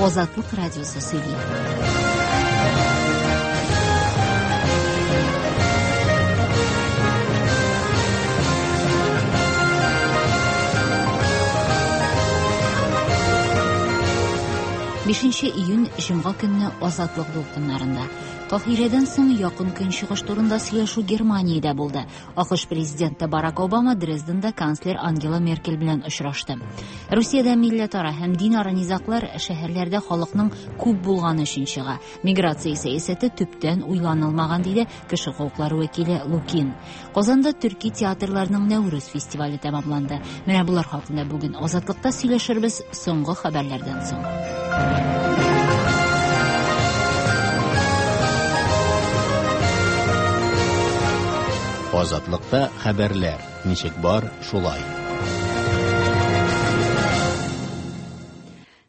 Азатлык радиосы сөйли. Бишенче июнь җомга көнне Азатлык дулкыннарында. Каһирәдән соң Якын Көнчыгыш турында сөйләшү Германиядә булды. АКШ президенты Барак Обама Дрезденда канцлер Ангела Меркель белән очрашты. Русиядә милләтара һәм динара низаглар шәһәрләрдә халыкның күп булганы өчен чыга. Миграция сәясәте төптән уйланылмаган, диде кеше хокуклары вәкиле Лукин. Казанда төрки театрларның Нәүрүз фестивале тәмамланды. Менә болар хакында бүген Азатлыкта сөйләшербез соңгы хәбәрләрдән соң. Азатлыкта хәбәрләр ничек бар, шулай.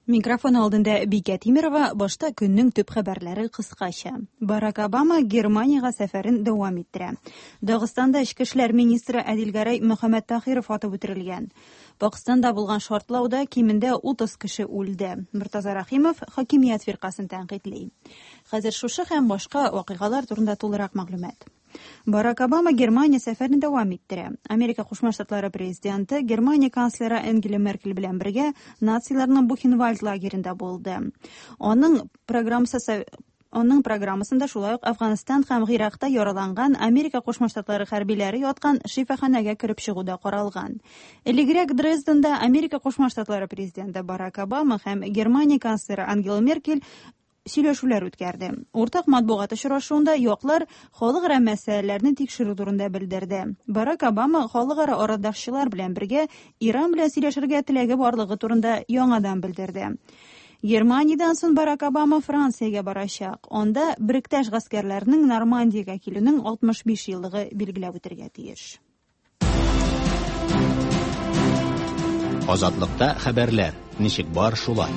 Микрофон алдында Бикә Тимерова, башта көннең төп хәбәрләре кыскача. Барак Обама Германиягә сәфәрен дәвам иттерә. Дагыстанда эчке эшләр министры Әдилгәрәй Мөхәммәттахиров атып үтерелгән. Пакстанда булган шартлауда кимендә 30 кеше үлде. Мортаза Рәхимов хакимият фиркасын тәнкыйтьли. Хәзер шушы һәм башка вакыйгалар турында тулырак мәгълүмат. Барак Обама Германия сәфәрен дәвам иттерә. Америка Кушма Штатлары президенты Германия канцлеры Ангела Меркель белән бергә нациларның Бухенвальд лагеренда булды. Аның программасы Аның программасында шулай ук Әфганстан һәм Гыйракта яраланган Америка Кушма Штатлары хәрбиләре яткан шифаханәгә кереп чыгу да каралган. Элегрәк Дрезденда Америка Кушма Штатлары президенты Барак Обама һәм Германия канцлеры Ангела Меркель сөйләшүләр үткәрде. Уртак матбугат очрашуында яклар халыкара мәсьәләләрне тикшерү турында белдерде. Барак Обама халыкара арадашчылар белән бергә Иран белән сөйләшергә теләге барлыгы турында яңадан белдерде. Германиядән соң Барак Обама Франциягә барачак. Анда Беректәш гаскәрләренең Нормандиягә килүнең 65 еллыгы билгеләп үтергә тиеш. Азатлыкта хәбәрләр ничек бар, шулай.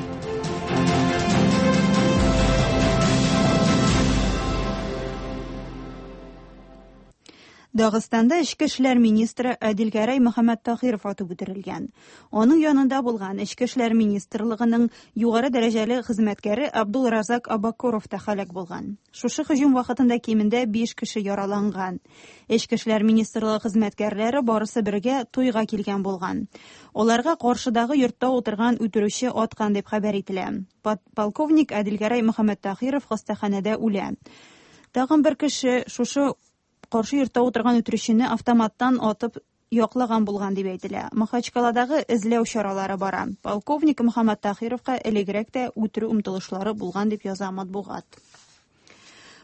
Дагыстанда эчке эшләр министры Әдилгәрәй Мөхәммәттахиров атып үтерелгән. Аның янында булган Эчке эшләр министрлыгының югары дәрәҗәле хезмәткәре Абдулразак Абакуров та һәлак булган. Шушы һөҗүм вакытында кимендә 5 кеше яраланган. Эчке эшләр министрлыгы хезмәткәрләре барысы бергә туйга килгән булган. Аларга каршыдагы йортта утырган үтерүче аткан дип хәбәр ителә. Полковник Әдилгәрәй Мөхәммәттахиров хастаханәдә үлә. Тагын бер кеше шушы каршы йортта утырган үтерүчене автоматтан атып яклаган булган дип әйтелә. Махачкаладагы эзләү чаралары бара. Полковник Мөхәммәттахировка элегрәк тә үтерү омтылышлары булган дип яза матбугат.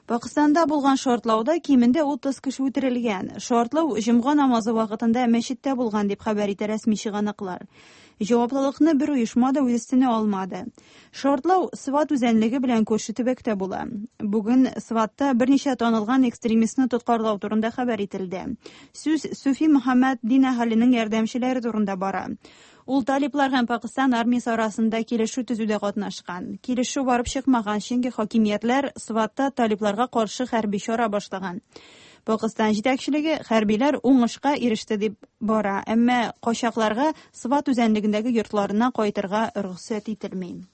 Пакыстанда булган шартлауда кимендә 30 кеше үтерелгән. Шартлау җомга намазы вакытында мәчеттә булган дип хәбәр итә рәсми чыганаклар. Җаваплылыкны бер оешма да үз өстенә алмады. Шартлау Сват үзәнлеге белән күрше төбәктә була. Бүген Сватта берничә танылган экстремистны тоткарлау турында хәбәр ителде. Сүз Суфи Мөхәммәд дин әһеленең ярдәмчеләре турында бара. Ул талиплар һәм Пакыстан армиясе арасында килешү төзүдә катнашкан. Килешү барып чыкмаган, чөнки хакимиятләр Сватта талипларга каршы хәрби чара башлаган. Пакыстан җитәкчелеге хәрбиләр уңышка иреште дип бара, әмма качакларга Сват үзәнлегендәге йортларына кайтырга рөхсәт ителми.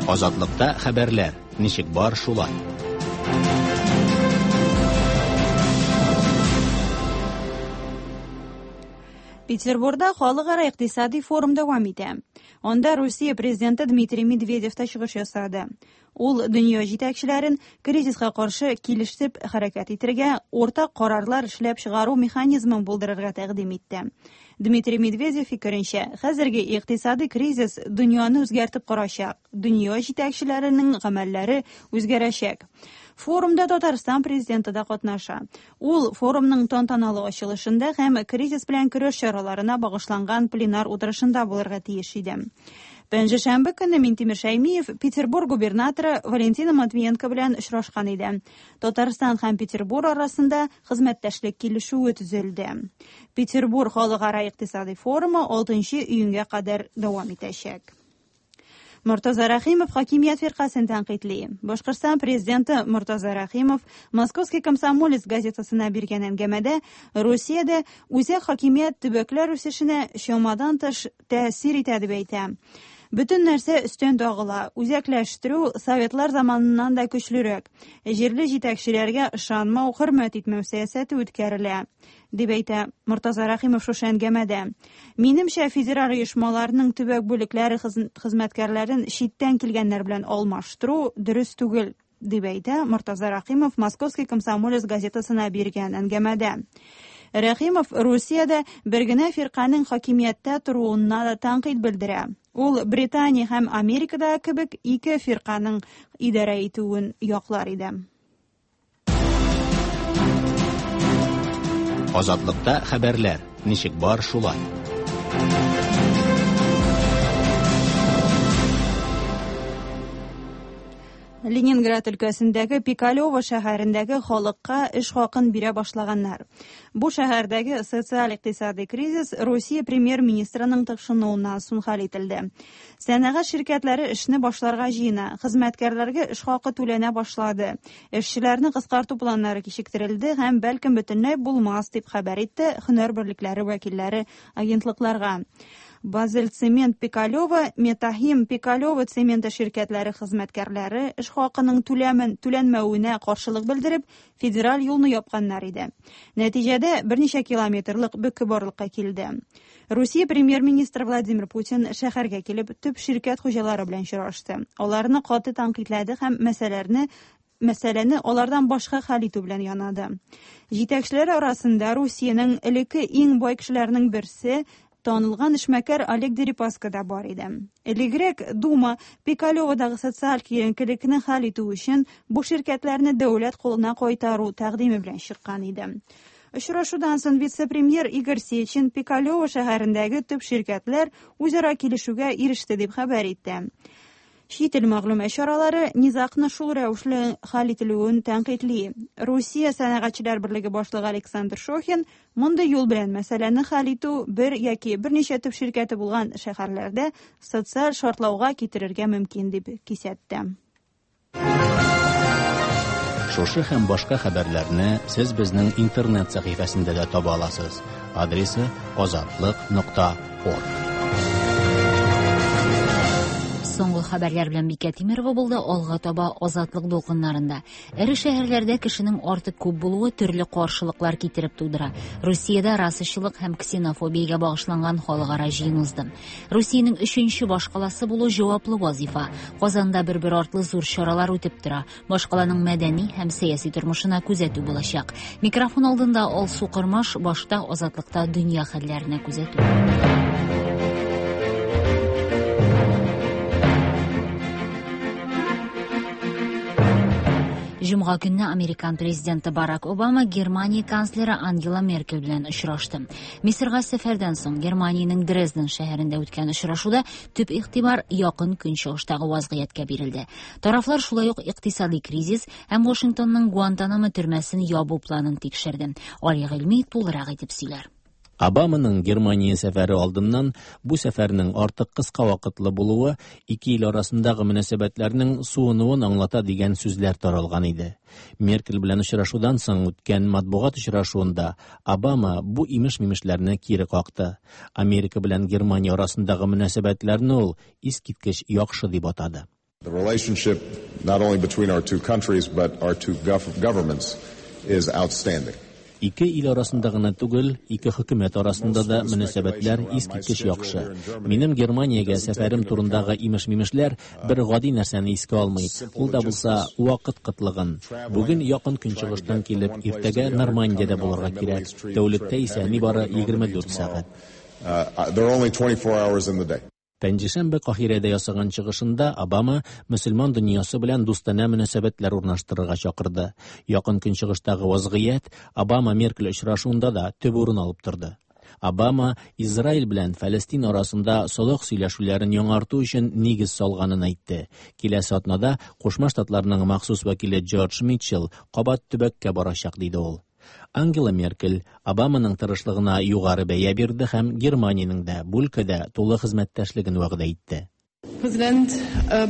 Азатлыкта хәбәрләр ничек бар, шулай. Петербурда халыкара икътисади форум дәвам итә. Анда Русия президенты Дмитрий Медведев та чыгыш ясады. Ул дөнья җитәкчеләрен кризиска каршы килешеп хәрәкәт итәргә, уртак карарлар эшләп чыгару механизмын булдырырга тәкъдим итте. Дмитрий Медведев фикеренчә, хәзерге икътисади кризис дөньяны үзгәртеп корачак, дөнья җитәкчеләренең гамәлләре үзгәрәчәк. Форумда Татарстан президенты да катнаша. Ул форумның тантаналы ачылышында һәм кризис белән көрәш чараларына багышланган пленар утырышында булырга тиеш иде. Пәнҗешәмбе көнне Минтимер Шәймиев Петербург губернаторы Валентина Матвиенко белән очрашкан иде. Татарстан һәм Петербург арасында хезмәттәшлек килешүе төзелде. Петербург халыкара икътисади форумы 6 июньгә кадәр дәвам итәчәк. Мортаза Рәхимов хакимият фиркасен тәнкыйтьли. Башкортстан президенты Мортаза Рәхимов Московский комсомолец газетасына биргән әңгәмәдә Русиядә үзәк хакимият төбәкләр үсешенә чамадан тыш тәэсир итә дип әйтә. Бөтен нәрсә өстән тагыла. Үзәкләштерү советлар заманыннан да көчлерәк. Җирле җитәкчеләргә ышанмау, хөрмәт итмәү сәясәте үткәрелә, дип әйтә Мортаза Рәхимов шушы әңгәмәдә. Минемчә, федераль оешмаларның төбәк бүлекләре хезмәткәрләрен читтән килгәннәр белән алмаштыру дөрес түгел, дип әйтә Мортаза Рәхимов Московский комсомолец газетасына биргән әңгәмәдә. Рәхимов Русиядә бер генә фирканең хакимияттә торуына да тәнкыйть белдерә. Ул Британия һәм Америкада кебек ике фирканың идарә итүен яклар иде. Азатлыкта хәбәрләр, ничек бар шулай. Ленинград өлкәсендәге Пикалево шәһәрендәге халыкка эш хакын бирә башлаганнар. Бу шәһәрдәге социаль-икътисади кризис Русия премьер-министрының тыкшынуыннан соң хәл ителде. Сәнәгать ширкәтләре эшне башларга җыена, хезмәткәрләргә эш хакы түләнә башлады. Эшчеләрне кыскарту планнары кичектерелде һәм бәлкем бөтенләй булмас, дип хәбәр итте һөнәр берлекләре вәкилләре агентлыкларга. Базель Цемент Пикалево, Метахим Пикалево цементы ширкәтләре хезмәткәрләре эш хакының түләмен түләнмәвенә каршылык белдереп, федераль юлны япканнар иде. Нәтиҗәдә берничә километрлык бөке барлыкка килде. Русия премьер-министры Владимир Путин шәһәргә килеп, төп ширкәт хуҗалары белән очрашты. Аларны каты тәнкыйтьләде һәм мәсьәләрне мәсьәләне алардан башка хәл итү белән янады. Җитәкчеләр арасында Русиянең элекке иң бай кешеләренең берсе танылган эшмәкәр Олег Дерипаска да бар иде. Элегрәк Дума Пикалеводагы социаль киеренкелекне хәл итү өчен бу ширкәтләрне дәүләт кулына кайтару тәкъдиме белән чыккан иде. Очрашудан соң вице-премьер Игорь Сечин Пикалево шәһәрендәге төп ширкәтләр үзара килешүгә иреште дип хәбәр итте. Чит ил мәгълүмат чаралары низагны шул рәвешле хәл ителүен тәнкыйтьли. Русия сәнәгатьчеләр берлеге башлыгы Александр Шохин мондый юл белән мәсьәләне хәл итү бер яки берничә төп ширкәте булган шәһәрләрдә социаль шартлауга китерергә мөмкин дип кисәтте. Шушы һәм башка хәбәрләрне сез безнең интернет сәхифәсендә дә таба аласыз. Адресы azatliq.org. Соңгы хәбәрләр белән Бикә Тимирова булды. Алга таба Азатлык дулкыннарында. Эре шәһәрләрдә кешенең артык күп булуы төрле каршылыклар китереп тудыра. Русиядә расачылык һәм ксенофобиягә багышланган халыкара җыен узды. Русиянең өченче башкаласы булу җаваплы вазифа. Казанда бер-бер артлы зур чаралар үтеп тора. Башкаланың мәдәни һәм сәяси тормышына күзәтү булачак. Микрофон алдында Алсу Кормаш, башта Азатлыкта дөнья хәлләренә күзәтү. Җомга көнне Американ президенты Барак Обама Германия канцлеры Ангела Меркель белән очрашты. Мисырга сәфәрдән соң Германиянең Дрезден шәһәрендә үткән очрашуда төп игътибар Якын Көнчыгыштагы вазгыятькә бирелде. Тарафлар шулай ук икътисади кризис һәм Вашингтонның Гуантанамо төрмәсен ябу планын тикшерде. Али Гыйльми тулырак итеп сөйләр. Обаманың Германия сәфәре алдыннан бу сәфәрнең артык кыска вакытлы булуы ике ил арасындагы мөнәсәбәтләрнең суынуын аңлата дигән сүзләр таралган иде. Меркель белән очрашудан соң үткән матбугат очрашуында Обама бу имеш-мимешләрне кире какты. Америка белән Германия арасындагы мөнәсәбәтләрне ул искиткеч яхшы дип атады. The relationship not only between our two countries but our two governments is outstanding. Ике ил арасында гына түгел, ике хөкүмәт арасында да мөнәсәбәтләр искиткеч яхшы. Минем Германиягә сәфәрем турындагы имеш-мимешләр бер гади нәрсәне искә алмый. Ул да булса вакыт кытлыгын. Бүген Якын Көнчыгыштан килеп, иртәгә Нормандиядә булырга кирәк. Тәүлектә исә нибары 24 сәгать. There are only 24 hours in the day. Пәнҗешәмбе Каһирәдә ясаган чыгышында Обама мөселман дөньясы белән дустанә мөнәсәбәтләр урнаштырырга чакырды. Якын Көнчыгыштагы вазгыять Обама Меркель очрашуында да төп урын алып торды. Обама Израиль белән Фәлестин арасында солых сөйләшүләрен яңарту өчен нигез салганын әйтте. Киләсе атнада Кушма Штатларның махсус вәкиле Джордж Митчелл кабат төбәккә барачак, диде ул. Ангела Меркель Обаманың тырышлыгына югары бәя бирде һәм Германиянең дә бу өлкәдә тулы хезмәттәшлеген вәгъдә итте. Президент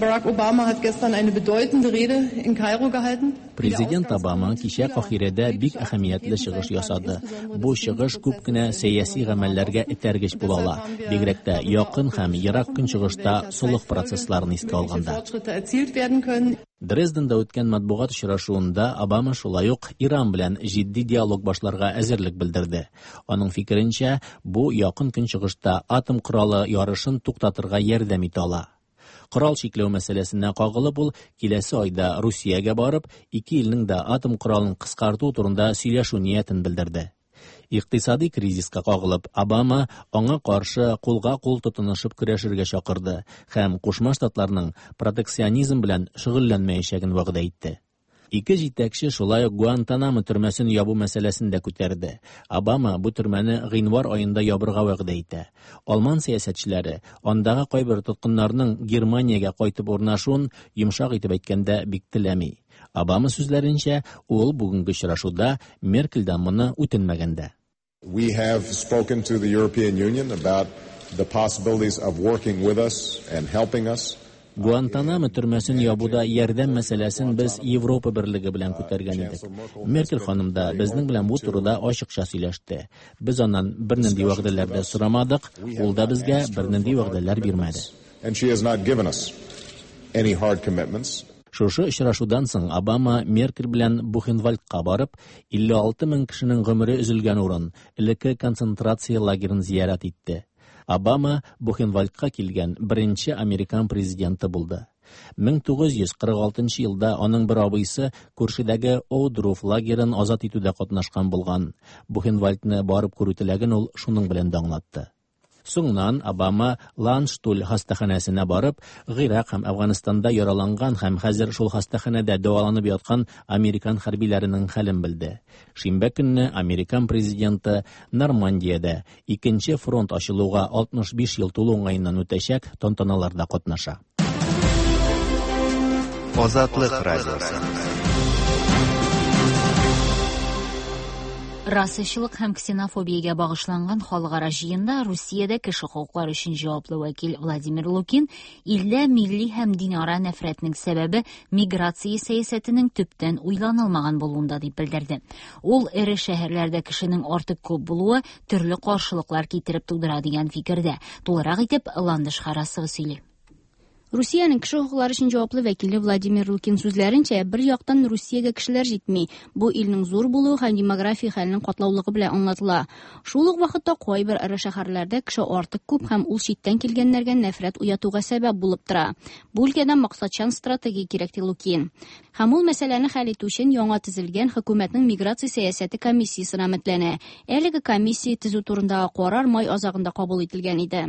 Барак Обама hat gestern eine bedeutende Rede in Kairo gehalten. Президент Обама кичә Каһирәдә бик әһәмиятле чыгыш ясады. Бу чыгыш күп кенә сәяси гамәлләргә этәргеч була ала, бигрәк тә Якын һәм Ерак Көнчыгышта солых процессларын искә алганда. Дрезденда үткән матбугат очрашуында Обама шулай ук Иран белән җитди диалог башларга әзерлек белдерде. Аның фикеренчә, бу Якын Көнчыгышта атом коралы ярышын туктатырга ярдәм итә ала. Корал чикләү мәсьәләсенә кагылып, ул киләсе айда Русиягә барып, ике илнең дә атом коралын кыскарту турында сөйләшү ниятен белдерде. Икътисади кризиска кагылып, Обама аңа каршы кулга-кул тотынышып көрәшергә чакырды һәм Кушма Штатларның протекционизм белән шөгыльләнмәячәген вәгъдә итте. Ике җитәкче шулай ук Гуантанамо төрмәсен ябу мәсьәләсен дә күтәрде. Обама бу төрмәне гыйнвар аенда ябырга вәгъдә итә. Алман сәясәтчеләре андагы кайбер тоткыннарның Германиягә кайтып урнашуын, йомшак итеп әйткәндә, бик теләми. Обама сүзләренчә, ул бүгенге очрашуда Меркельдән моны үтенмәгән дә. We have spoken to the European Union about the possibilities of working with us and helping us. Гуантанамо төрмәсен ябуда ярдәм мәсьәләсен без Европа Берлеге белән күтәргән идек. Меркель ханым да безнең белән бу турыда ачыкча сөйләште. Без аннан бернинди вәгъдәләр дә сорамадык, ул да безгә бернинди вәгъдәләр бирмәде. And she has not given us any hard commitments. Шушы очрашудан соң Обама Меркель белән Бухенвальдка барып, 56 мең кешенең гомере өзелгән урын, элекке концентрация лагерын зиярәт итте. Обама Бухенвальдка килгән беренче американ президенты булды. 1946 елда аның бер абыйсы күршедәге Оудруф лагерын азат итүдә катнашкан булган. Бухенвальдны барып күрү теләген ул шуның белән дә аңлатты. Соңыннан Обама Ландштуль хастаханәсенә барып, Гыйрак һәм Әфганстанда яраланган һәм хәзер шул хастаханәдә дәваланып яткан американ хәрбиләренең хәлен белде. Шимбә көнне американ президенты Нормандиядә икенче фронт ачылуга 65 ел тулу уңаеннан үтәчәк тантаналарда катнаша. Азатлык радиосы. Расачылык һәм ксенофобиягә багышланган халыкара җыенда Русиядә кеше хокуклары өчен җаваплы вәкил Владимир Лукин илдә милли һәм динара нәфрәтнең сәбәбе миграция сәясәтенең төптән уйланылмаган булуында дип белдерде. Ул эре шәһәрләрдә кешенең артык күп булуы төрле каршылыклар китереп тудыра дигән фикердә. Тулырак итеп Ландыш Харасова сөйли. Русиянең кеше хокуклары өчен җаваплы вәкиле Владимир Лукин сүзләренчә, бер яктан Русиягә кешеләр җитми. Бу илнең зур булуы һәм демография хәленең катлаулыгы белән аңлатыла. Шул ук вакытта кайбер эре шәһәрләрдә кеше артык күп һәм ул читтән килгәннәргә нәфрәт уятуга сәбәп булып тора. Бу өлкәдә максатчан стратегия кирәк, ди Лукин. Һәм ул мәсьәләне хәл итү өчен яңа төзелгән хөкүмәтнең миграция сәясәте комиссиясенә өметләнә. Әлеге комиссия төзү турындагы карар май азагында кабул ителгән иде.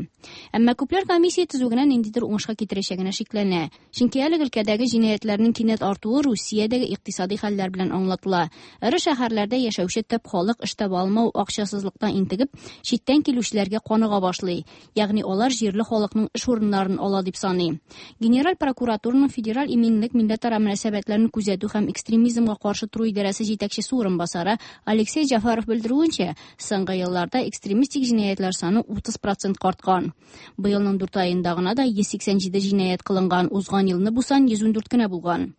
Әмма күпләр комиссия төзү генә ниндидер уңышка китерәчәгенә шикләнә. Чөнки әлеге өлкәдәге җинаятьләрнең кинәт артуы Русиядәге икътисади хәлләр белән аңлатыла. Эре шәһәрләрдә яшәүче төп халык эш таба алмау, акчасызлыктан интегеп, читтән килүчеләргә каныга башлый. Ягъни алар җирле халыкның эш урыннарын ала дип саный. Генераль прокуратураның Федераль иминлек милләтара мөнәсәбәтләрен күзәтү һәм экстремизмга каршы тору идарәсе җитәкчесе урынбасары Алексей Җафаров белдерүенчә, соңгы елларда экстремистик җинаятьләр саны 30% арткан. Быелның 4 аенда гына да 187 җинаять кылынган, узган елны бу сан 114 кенә булган.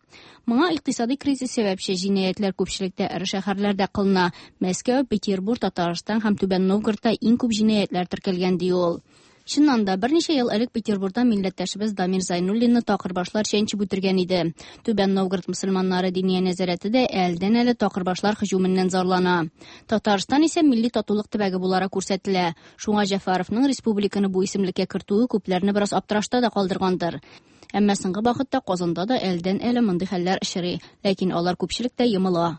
Моңа икътисади кризис сәбәпче. Җинаятьләр күпчелектә эре шәһәрләрдә кылына. Мәскәү, Петербург, Татарстан һәм Түбән Новгородта иң күп җинаятьләр теркәлгән, ди ул. Чыннан да, берничә ел элек Петербургда милләттәшебез Дамир Зайнуллинны такырбашлар чәнчеп үтергән иде. Түбән Новгород мөселманнары диния нәзарәте дә әлдән-әле такырбашлар һөҗүменнән зарлана. Татарстан исә милли татулык төбәге буларак күрсәтелә. Шуңа Җәфаровның республиканы бу исемлеккә кертүе күпләрне бераз аптырашта да калдыргандыр. Әмма соңгы вакытта Казанда да әлдән-әле мондый хәлләр очрый, ләкин алар күпчелектә йомыла.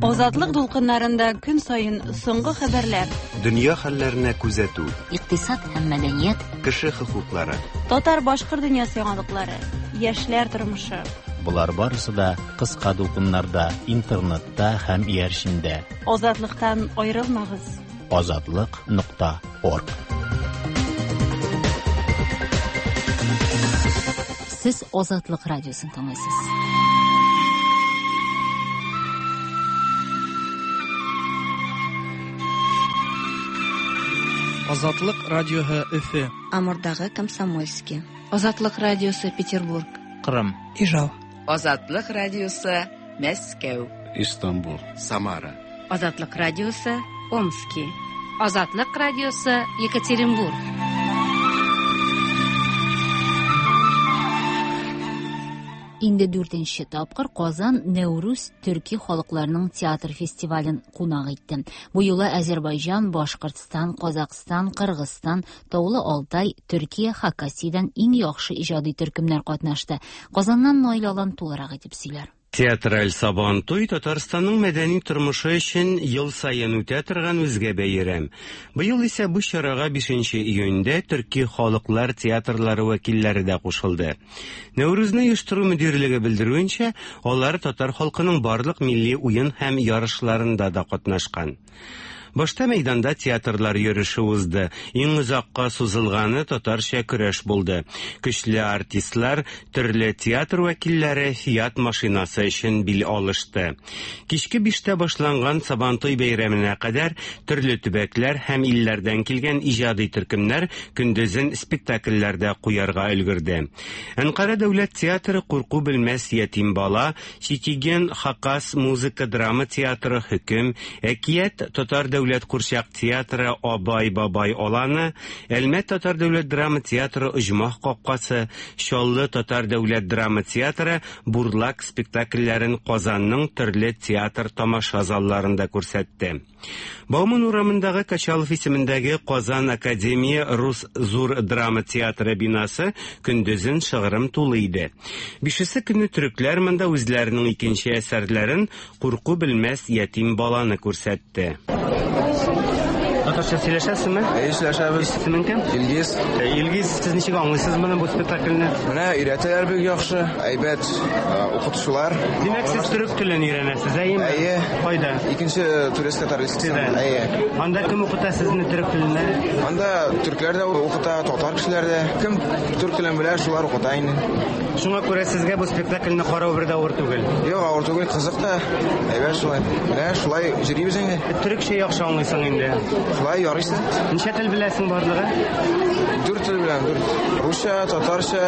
Азатлык дулкыннарында көн саен соңгы хәбәрләр, Дөнья хәлләренә күзәтү, Икътисад һәм мәдәният, кеше хокуклары, татар-башкорт дөньясы яңалыклары, яшьләр тормышы. Болар барысы да кыска дулкыннарда, интернетта һәм иярчендә. Азатлыктан аерылмагыз. Азатлык.org. Сез Азатлык радиосын тыңлыйсыз. Азатлык радиоһы Өфе. Амурдагы Комсомольский. Азатлык радиосы Петербург. Кырым. Ижау. Азатлык радиосы Мәскәү. Истанбул. Самара. Азатлык радиосы Омски. Азатлык радиосы Екатеринбург. Инде дүртенче тапкыр Казан Нәүрүз төрки халыкларының театр фестивален кунак итте. Бу юлы Азербайҗан, Башкортстан, Казакъстан, Кыргызстан, Таулы Алтай, Төркия, Хакасиядән иң яхшы иҗади төркемнәр катнашты. Казаннан Наил Алан тулырак итеп сөйләр. Театраль Сабантуй Татарстанның мәдәни тормышы өчен ел саен үтә торган үзгә бәйрәм. Быел исә бу чарага 5 июньдә төрки халыклар театрлары вәкилләре дә кушылды. Нәүрүзне оештыру мөдирлеге белдерүенчә, алар татар халкының барлык милли уен һәм ярышларында да катнашкан. Башта мәйданда театрлар йөреше узды. Иң озакка сузылганы татарча көрәш булды. Көчле артистлар, төрле театр вәкилләре Фиат машинасы өчен бил алышты. Кичке 5-тә башланган Сабантуй бәйрәменә кадәр төрле төбәкләр һәм илләрдән килгән иҗади төркемнәр көндезен спектакльләрдә куярга өлгерде. Әнкара дәүләт театры Курку белмәс ятим бала, Читиген Хакас музыка драма театры Хөкем, Әкият татар дәүләт курчак театры Абай бабай аланы, Әлмәт татар дәүләт драма театры Оҗмах капкасы, Чаллы татар дәүләт драма театры Бурлак спектакльләрен Казанның төрле театр тамаша залларында күрсәтте. Бауман урамындагы Качалов исемендәге Казан академия Рус зур драма театры бинасы көндезен шыгрым тулы иде. Бишесе көне төрекләр монда үзләренең икенче әсәрләрен Курку белмәс ятим баланы күрсәтте. Татарча сөйләшәсезме? Әйе, сөйләшәбез. Исемең кем? Илгиз. Илгиз, сез ничек аңлыйсыз моны бу спектакльне? Менә өйрәтәләр бик яхшы, әйбәт укытучылар. Димәк, сез төрек телен өйрәнәсез, әйеме? Әйе. Кайда? Икенче турецкий татар лицейында. Әйе. Анда кем укыта сезне төрек теленә? Анда төрекләр дә укыта, татар кешеләр дә. Кем төрек телен белә, шулар укыта инде. Шуңа күрә сезгә бу спектакльне карау бер дә авыр түгел. Юк, авыр түгел, кызык та. Әйбәт шулай. Менә шулай йөрибез инде. Төрекчә яхшы аңлыйсың инде. Шулай ярыйсы. Ничә тел беләсең барлыгы? 4 тел беләм, 4. Русча, татарча,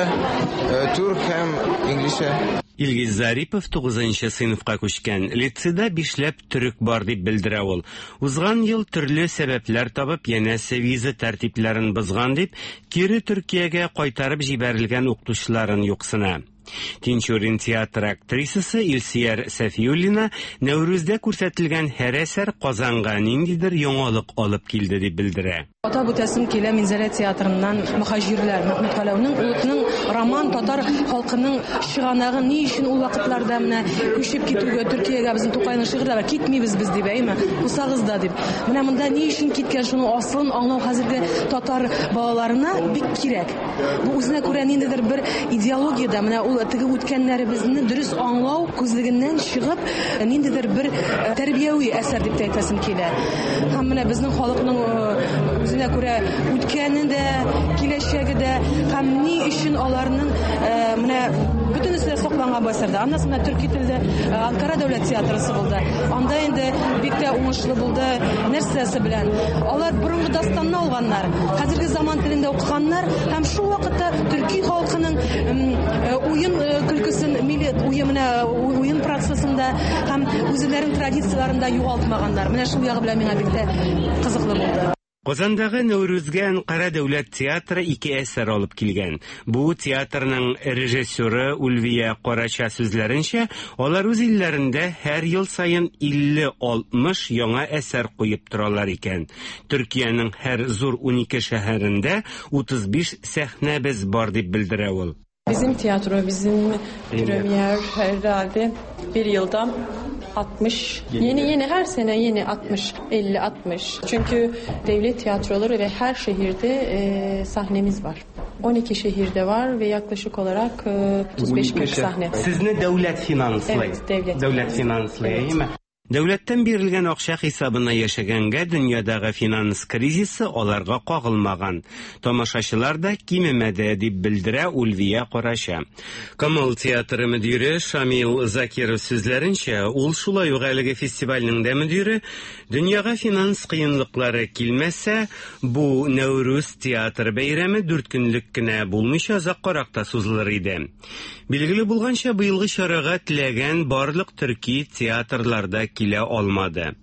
түрк һәм инглизчә. Илгиз Зарипов 9 сыйныфка күчкән. Лицейда 5ләп төрек бар дип белдерә ул. Узган ел төрле сәбәпләр табып, янәсе виза тәртипләрен бозган дип, кире Төркиягә кайтарып җибәрелгән укытучыларын юксына. Тинчурин театры актрисасы Илсияр Сәфиуллина Нәүрүздә күрсәтелгән һәр әсәр Казанга ниндидер яңалык алып килде дип белдерә. Атап үтәсем килә Минзәлә театрыннан Мөхаҗирләр Мәхмүт Галәүнең улының роман татар халкының чыганагы ни өчен ул вакытларда менә күчеп китүгә Төркиягә безнең Тукайның шигырьләре китмибез без дип, әйме? Кусагыз да дип. Менә монда ни өчен киткән, шуның асылын аңлау хәзерге татар балаларына бик кирәк. Бу үзенә күрә ниндидер бер идеологиядә менә ул теге үткәннәребезне дөрес аңлау күзлегеннән чыгып, ниндидер бер тәрбияви әсәр дип тә әйтәсем килә. Һәм менә безнең халыкның үзенә күрә үткәне дә, киләчәге дә һәм ни өчен аларның менә бөтенесе дә сакланган бу әсәрдә. Аннан соң төрки телдә Анкара дәүләт театрысы булды. Анда инде бик тә уңышлы булды. Нәрсәсе белән? Алар борынгы дастанны алганнар, хәзерге заман телендә укыганнар һәм шул вакытта төрки халкының уен көлкесен, милли уен уен процессында һәм үзләренең традицияләрен дә югалтмаганнар. Менә шул ягы белән миңа бик тә кызыклы булды. Казандагы Нәүрүзгә Әнкара дәүләт театры 2 әсәр алып килгән. Бу театрның режиссеры Ульвия Карача сүзләренчә, алар үз илләрендә һәр ел саен 50-60 яңа әсәр куеп торалар икән. Төркиянең һәр зур 12 шәһәрендә 35 сәхнәбез бар дип белдерә ул. Bizim tiyatro, bizim premier herhalde bir yılda 60, yeni her sene yeni 60, 50, 60. Çünkü devlet tiyatroları ve her şehirde sahnemiz var. 12 şehirde var ve yaklaşık olarak 35-40 sahne. Siz ne devlet finanslıyı? Evet, devlet. Devlet finanslıyı, değil mi? Дәүләттән бирелгән акча хисабына яшәгәнгә дөньядагы финанс кризисы аларга кагылмаган. Тамашачылар да кимемәде, дип белдерә Ульвия Карача. Камал театры мөдире Шамил Закиров сүзләренчә, ул шулай ук әлеге фестивальнең дә мөдире, дөньяга финанс кыенлыклары килмәсә, бу Нәүрүз театр бәйрәме дүрт көнлек кенә булмыйча озаккарак та сузылыр иде. Билгеле булганча, быелгы чарага теләгән барлык төрки театрлар да килә алмады.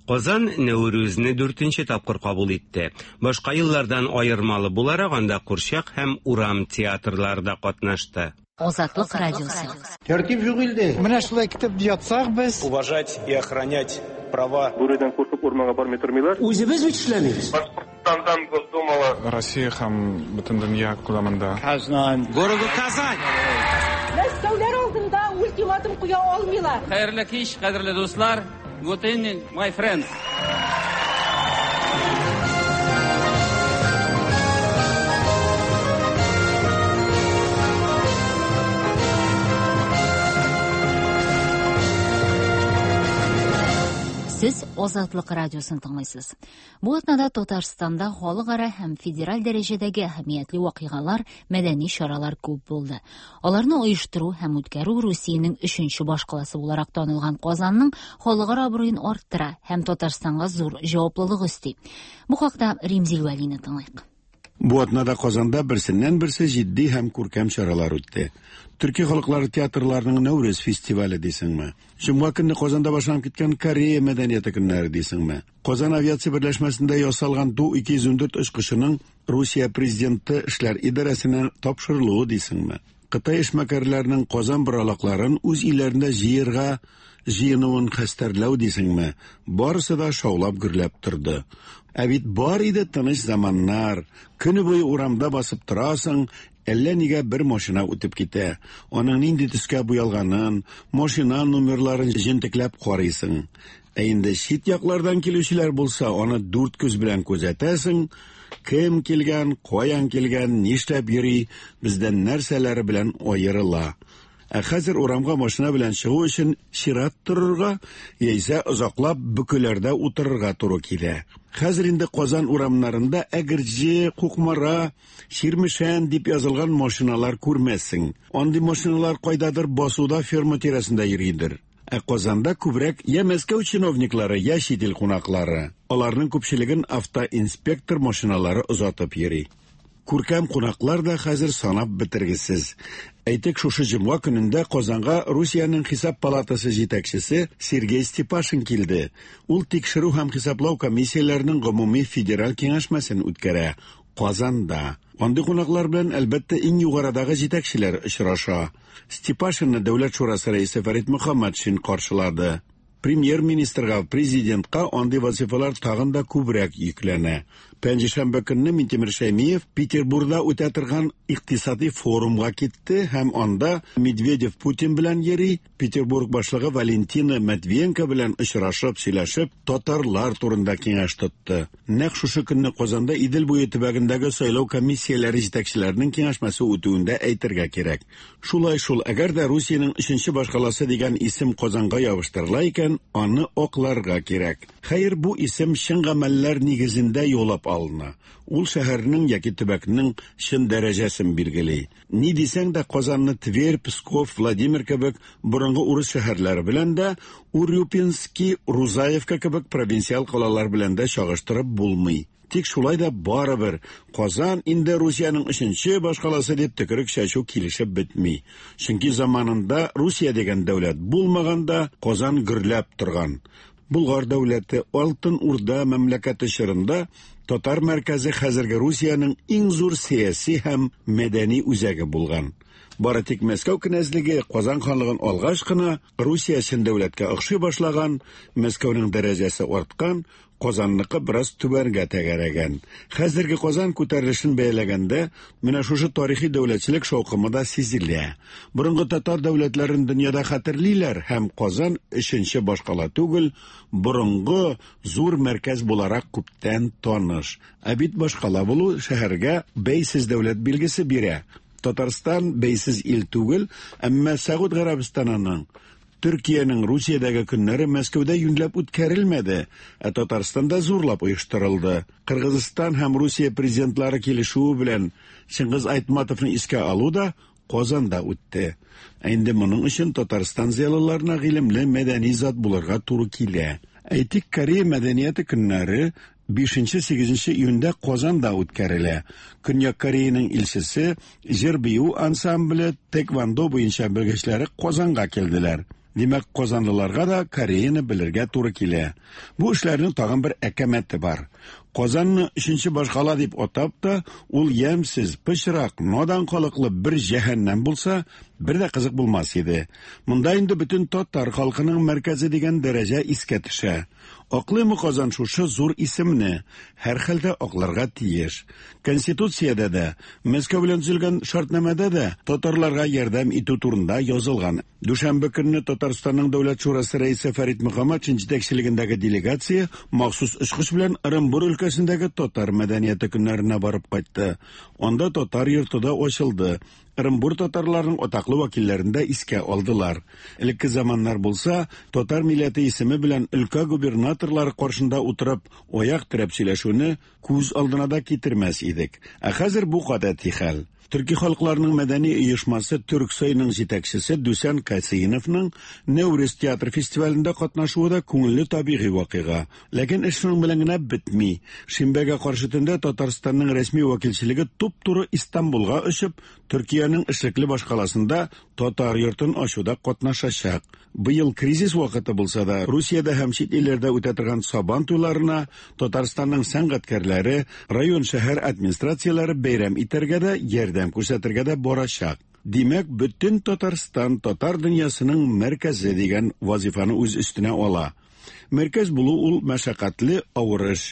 Казан Нәүрүзне дүртенче тапкыр кабул итте. Башка еллардан аермалы буларак, анда курчак һәм урам театрлары да катнашты. Азатлык радиосы. Тәртип юк илдә. Менә шулай китеп ятсак без. Уважать и охранять права. Бүредән куркып урманга бармый тормыйлар. Үзебез бит эшләмибез. Башкортстандан Госдумала. Россия һәм бөтен дөнья күләмендә. Казан. Городу Казань. Мәскәүләр алдында ультиматум куя алмыйлар. Хәерле кич, кадерле дуслар. Good evening, my friends. Сез Азатлык радиосын тыңлыйсыз. Бу атнада Татарстанда халыкара һәм федераль дәрәҗәдәге әһәмиятле вакыйгалар, мәдәни чаралар күп булды. Аларны оештыру һәм үткәрү Русиянең өченче башкаласы буларак танылган Казанның халыкара абруен арттыра һәм Татарстанга зур җаваплылык өсти. Бу хакта Римзил Вәлине тыңлыйк. Бу атнада Казанда берсеннән-берсе җитди һәм күркәм чаралар үтте. Төрки халыклары театрларының Нәүрүз фестивале дисеңме? Җомга көнне Казанда башланып киткән Корея мәдәнияте көннәре дисеңме? Казан авиация берләшмәсендә ясалган Ту-214 очкычының Русия президенты эшләр идарәсенә тапшырылуы дисеңме? Кытай эшмәкәрләренең Казан боралакларын үз илләрендә җыерга җыенуын хәстәрләү дисеңме? Барысы да шаулап-гөрләп торды. Ә бит бар иде тыныч заманнар. Көне буе урамда басып торасың, әллә нигә бер машина үтеп китә. Аның нинди төскә буялганын, машина номерларын җентекләп карыйсың. Ә инде чит яклардан килүчеләр булса, аны дүрт күз белән күзәтәсең, кем килгән, каян килгән, нишләп йөри, бездән нәрсәләре белән аерыла. Ә хәзер урамга машина белән чыгу өчен чират торырга, яисә озаклап бөкеләрдә утырырга туры килә. Хәзер инде Казан урамнарында Әгерҗе, Кукмара, Чирмешән дип язылган машиналар күрмәссең. Андый машиналар кайдадыр басуда ферма тирәсендә йөридер. Ә Казанда күбрәк я Мәскәү чиновниклары, я чит ил кунаклары. Аларның күпчелеген автоинспектор машиналары озатып йөри. Күркәм кунаклар да хәзер санап бетергесез. Әйтик, шушы җомга көнендә Казанга Русиянең Хисап палатасы җитәкчесе Сергей Степашин килде. Ул тикшерү һәм хисаплау комиссияләренең гомуми федераль киңәшмәсен үткәрә. Казанда. Андый кунаклар белән, әлбәттә, иң югарыдагы җитәкчеләр очраша. Степашинны Дәүләт шурасы рәисе Фәрит Мөхәммәтшин каршылады. Премьер-министрга, президентка андый вазифалар тагын да күбрәк йөкләнә. Пәнҗешәмбе көнне Минтимер Шәймиев Петербургда үтә торган икътисади форумга китте һәм анда Медведев Путин белән йөри, Петербург башлыгы Валентина Матвиенко белән очрашып, сөйләшеп, татарлар турында киңәш тотты. Нәкъ шушы көнне Казанда Идел буе төбәгендәге сайлау комиссияләре җитәкчеләренең киңәшмәсе үтүен дә әйтергә кирәк. Шулай шул, әгәр дә Русиянең өченче башкаласы дигән исем Казанга ябыштырыла икән, аны акларга кирәк. Хәер, бу исем чын гамәлләр нигезендә яулап алына. Ул шәһәрнең яки төбәкнең чын дәрәҗәсен билгели. Ни дисәң дә, Казанны Тверь, Псков, Владимир кебек борынгы урыс шәһәрләре белән дә, Урюпински, Рузаевка кебек провинциаль калалар белән дә чагыштырып булмый. Тик шулай да барыбер Казан инде Русиянең өченче башкаласы дип төкерек чәчү килешеп бетми. Чөнки заманында Русия дигән дәүләт булмаганда Казан гөрләп торган. Болгар дәүләте, Алтын Урда мәмләкәте чорында татар мәркәзе хәзерге Русиянең иң зур сәяси һәм мәдәни үзәге булган. Бары тик Мәскәү кенәзлеге Казан ханлыгын алгач кына Русия чын дәүләткә охшый башлаган, Мәскәүнең дәрәҗәсе арткан, Казанныкы бераз түбәнгә тәгәрәгән. Хәзерге Казан күтәрелешен бәяләгәндә, менә шушы тарихи дәүләтчелек шаукымы да сизелә. Борынгы татар дәүләтләрен дөньяда хәтерлиләр һәм Казан өченче башкала түгел, борынгы зур мәркәз буларак күптән таныш. Ә бит башкала булу шәһәргә бәйсез дәүләт билгесе бирә. Татарстан бәйсез ил түгел, әмма Сәгуд Гарәбстанының Төркиянең Русиядәге көннәре Мәскәүдә юньләп үткәрелмәде, ә Татарстанда зурлап оештырылды. Кыргызстан һәм Русия президентлары килешүе белән Чыңгыз Айтматовны искә алу да Казанда үтте. Ә инде моның өчен Татарстан зыялыларына гыйлемле мәдәни зат булырга туры килә. Әйтик, Корея мәдәнияте көннәре 5-8 июньдә Казанда үткәрелә. Көньяк Кореяның илчесе, җыр-бию ансамбле, тэквондо буенча белгечләре Казанга килделәр. Димәк, казанлыларга да Кореяны белергә туры килә. Бу эшләрнең тагын бер әкәмәте бар. Казанны өченче башкала дип атап та, ул ямьсез, пычрак, надан халыклы бер җәһәннәм булса, бер дә кызык булмас иде. Монда инде бөтен татар халкының мәркәзе дигән дәрәҗә искә төшә. Аклыймы Казан шушы зур исемне? Һәрхәлдә акларга тиеш. Конституциядә дә, Мәскәү белән төзелгән шартнамәдә дә татарларга ярдәм итү турында язылган. Дүшәмбе көнне Татарстанның Дәүләт шурасы рәисе Фәрит Мөхәммәтшин җитәкчелегендәге делегация махсус очкыч белән Ырынбур өлкәсендәге татар мәдәнияте көннәренә барып кайтты. Анда татар йорты да ачылды. Ырынбур татарларының атаклы вәкилләрен дә искә алдылар. Элекке заманнар булса, татар милләте исеме белән өлкә губернаторлары каршында утырып, аяк терәп сөйләшүне күз алдына да китермәс идек. Ә хәзер бу гадәти хәл. Төрки халыкларының мәдәни оешмасы Төрксойның җитәкчесе Дүсән Касыйновның Нәүрүз театр фестивалендә катнашуы да күңелле табигый вакыйга. Ләкин эш шуның белән генә бетми. Шимбәгә каршы төндә Татарстанның рәсми вәкилчелеге туп-туры Истанбулга очып, Төркиянең эшлекле башкаласында Татар йортын ачуда катнашачак. Быел кризис вакыты булса да, Русиядә һәм чит илләрдә үтә торган Сабан туйларына Татарстанның сәнгатькәрләре, район-шәһәр администрацияләре бәйрәм итәргә дә, ярдәм күрсәтергә дә барачак. Димәк, бөтен Татарстан татар дөньясының мәркәзе дигән вазифаны үз өстенә ала. Мәркәз булу ул мәшәкатьле, авыр эш.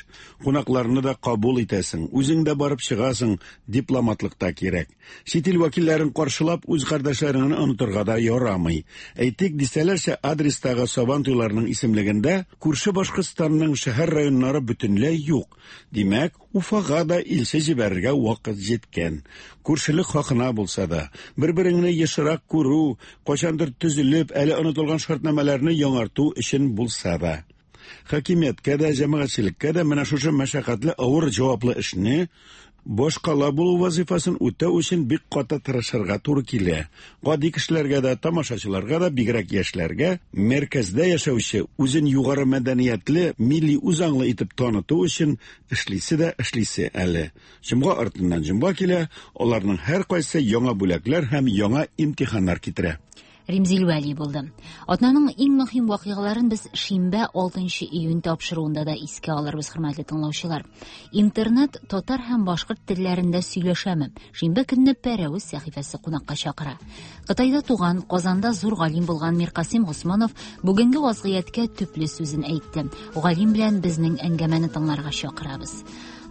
Кунакларны да кабул итәсең, үзең дә барып чыгасың, дипломатлык та кирәк. Чит ил вәкилләрен каршылап, үз кардәшләреңне онытырга да ярамый. Әйтик, дистәләрчә адрестагы Сабан туйларының исемлегендә күрше Башкортстанның шәһәр-районнары бөтенләй юк. Димәк, Уфага да илче җибәрергә вакыт җиткән. Күршелек хакына булса да, бер-береңне ешрак күрү, кайчандыр төзелеп, әле онытылган шартнамәләрне яңарту өчен булса да. Хакимияткә дә, җәмәгатьчелеккә дә менә шушы мәшәкатьле авыр җаваплы эшне башкала булу вазыйфасын үтәү өчен бик каты тырышырга туры килә. Гади кешеләргә дә, тамашачыларга да, бигрәк яшьләргә, мәркәздә яшәүче, үзен югары мәдәниятле, милли үзаңлы итеп таныту өчен эшлисе дә эшлисе әле. Җомга артыннан җомга килә, аларның һәркайсы яңа бүләкләр һәм яңа имтиханнар китерә. Римзил Вәли булды. Атнаның иң мөһим вакыйгаларын без шимбә 6 июнь тапшыруында да искә алырбыз, хөрмәтле тыңлаучылар. Интернет татар һәм башкорт телләрендә сөйләшәме? Шимбә көнне Пәрәвез сәхифәсе кунакка чакыра. Кытайда туган, Казанда зур галим булган Миркасыйм Госманов бүгенге вазгыятькә төпле сүзен әйтте. Галим белән безнең әңгәмәне тыңларга чакырабыз.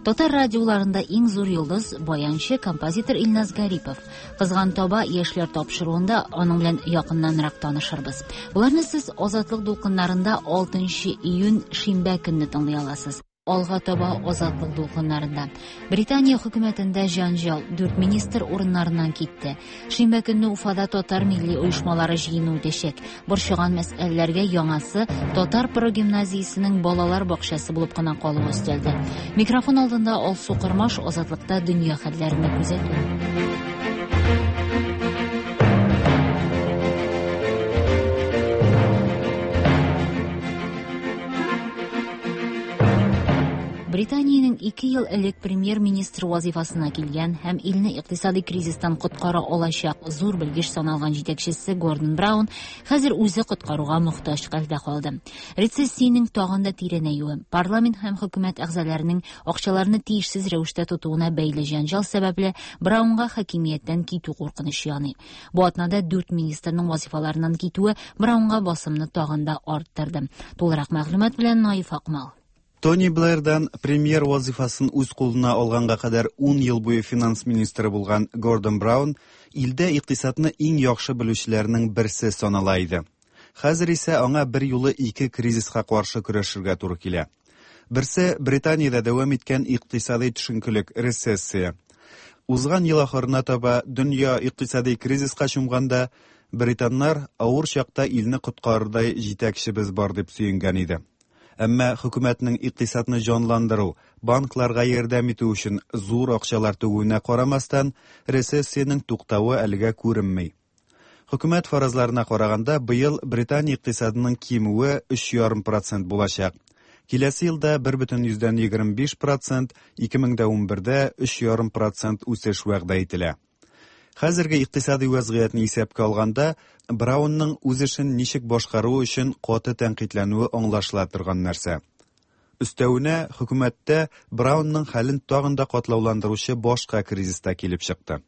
Татар радиоларында иң зур йолдыз баянчы, композитор Илназ Гарипов. Кызган таба яшьләр тапшыруында аның белән якыннанрак танышырбыз. Боларны сез Азатлык дулкыннарында 6 июнь шимбә көнне тыңлый аласыз. Алга таба Азатлык дулкыннарында. Британия хөкүмәтендә җанҗал, 4 министр урыннарыннан китте. Шимбә көнне Уфада татар милли оешмалары җыены үтәчәк. Борчыган мәсьәләләргә яңасы татар прогимназиясенең балалар бакчасы булып кына калуы өстәлде. Микрофон алдында Алсу Кырмаш Азатлыкта дөнья хәлләренә күзәтү. Британиянең 2 ел элек премьер-министр вазифасына килгән һәм илне икътисади кризистан коткара алачак зур белгеч саналган җитәкчесе Гордон Браун хәзер үзе коткаруга мохтаҗ хәлдә калды. Рецессиянең тагын да тирәнәюе, парламент һәм хөкүмәт әгъзаларының акчаларны тиешсез рәвештә тотуына бәйле җәнҗал сәбәпле Браунга хакимияттән китү куркынычы яный. Бу атнада 4 министрның вазифаларыннан китүе Браунга басымны тагын да арттырды. Тулырак мәгълүмат белән Наиф Акмал. Тони Блэрдан премьер вазифасын үз кулына алганга кадәр 10 ел буе финанс министры булган Гордон Браун илдә икътисадны иң яхшы белүчеләрнең берсе санала иде. Хәзер исә аңа бер юлы ике кризиска каршы көрәшергә туры килә. Берсе Британиядә дәвам иткән икътисади төшенкелек, рецессия. Узган ел ахырына таба дөнья икътисади кризиска чумганда, британнар авыр чакта илне коткарырдай җитәкчебез бар дип сөенгән иде. Әмма хөкүмәтнең икътисадны җанландыру, банкларга ярдәм итү өчен зур акчалар түгүенә карамастан, рецессиянең туктавы әлегә күренми. Хөкүмәт фаразларына караганда, быел Британия икътисадының кимүе 3,5 процент булачак. Киләсе елда 1,25 процент, 2011дә 3,5 процент үсеш вәгъдә ителә. Хәзерге икътисади вәзгыятьне исәпкә алганда, Браунның үз эшен ничек башкаруы өчен каты тәнкыйтьләнүе аңлашыла торган нәрсә. Өстәвенә, хөкүмәттә Браунның хәлен тагын да катлауландыручы башка кризис та килеп чыкты.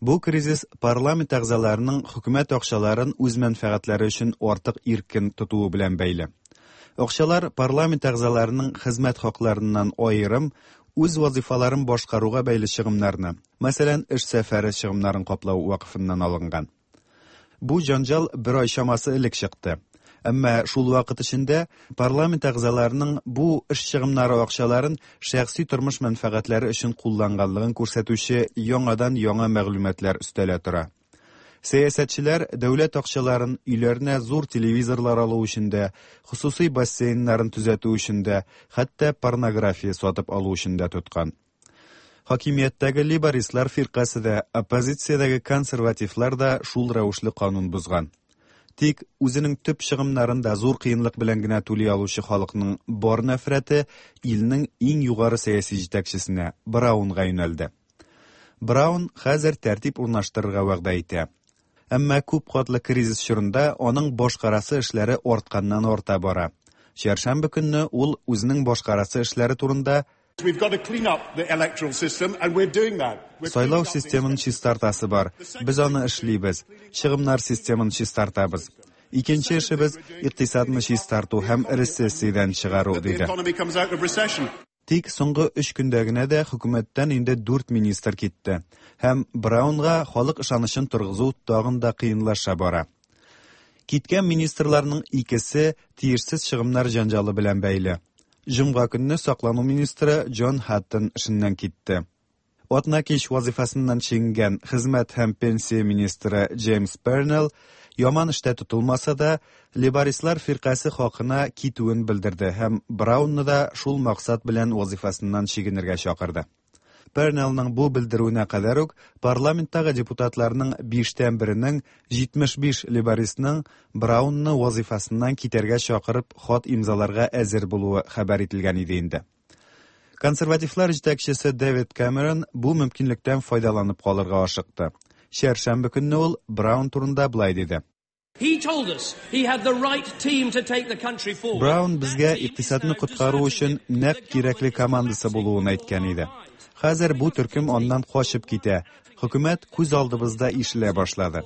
Бу кризис парламент әгъзаларының хөкүмәт акчаларын үз мәнфәгатьләре өчен артык иркен тотуы белән бәйле. Акчалар парламент әгъзаларының хезмәт хакларыннан аерым, үз вазифаларын башкаруга бәйле чыгымнарны, мәсәлән, эш сәфәре чыгымнарын каплау вакыфыннан алынган. Бу җанҗал бер ай чамасы элек чыкты. Әмма шул вакыт эчендә парламент әгъзаларының бу эш чыгымнары акчаларын шәхси тормыш мәнфәгатьләре өчен кулланганлыгын күрсәтүче яңадан-яңа мәгълүматлар өстәлә тора. Сәясәтчеләр дәүләт акчаларын өйләренә зур телевизорлар алу өчен дә, хосусый бассейннарын төзәтү өчен дә, хәтта порнография сатып алу өчен дә тоткан. Хакимияттәге лейбористлар фиркасе дә, оппозициядәге консервативлар да шул рәвешле канун бозган. Тик үзенең төп чыгымнарын да зур кыенлык белән генә түли алучы халыкның бар нәфрәте илнең иң югары сәяси җитәкчесенә, Браунга юнәлде. Браун хәзер тәртип урнаштырырга вәгъдә итә. Әмма күп катлы кризис чорында аның башкарасы эшләре артканнан арта бара. Чәршәмбе көнне ул үзенең башкарасы эшләре турында Сайлау системын чистартасы бар. Без аны эшлибез. Чыгымнар системын чистартабыз. Икенче эшебез икътисадны чистарту һәм рецессиядән чыгару, диде. Тик соңгы өч көндә генә дә хөкүмәттән инде дүрт министр китте. Һәм Браунга халык ышанычын торгызу тагын да кыенлаша бара. Киткән министрларның икесе тиешсез чыгымнар җанҗалы белән бәйле. Җомга көнне саклану министры Джон Хаттон эшеннән китте. Атна кич вазифасыннан чигенгән хезмәт һәм пенсия министры Джеймс Пернелл яман эштә тотылмаса да, лейбористлар фиркасе хакына китүен белдерде һәм Браунны да шул максат белән вазифасыннан чигенергә чакырды. Пернеллның бу белдерүенә кадәр үк парламенттагы депутатларның биштән беренең 75 лейбористның Браунны вазифасыннан китәргә чакырып хат имзаларга әзер булуы хәбәр ителгән иде инде. Консервативлар җитәкчесе Дэвид Кэмерон бу мөмкинлектән файдаланып калырга ашыкты. Чәршәмбе көнне ул Браун турында болай диде. Браун безгә икътисадны коткару өчен нәкъ кирәкле командасы булуын әйткән иде. Хәзер бу төркем аннан качып китә. Хөкүмәт күз алдыбызда ишелә башлады.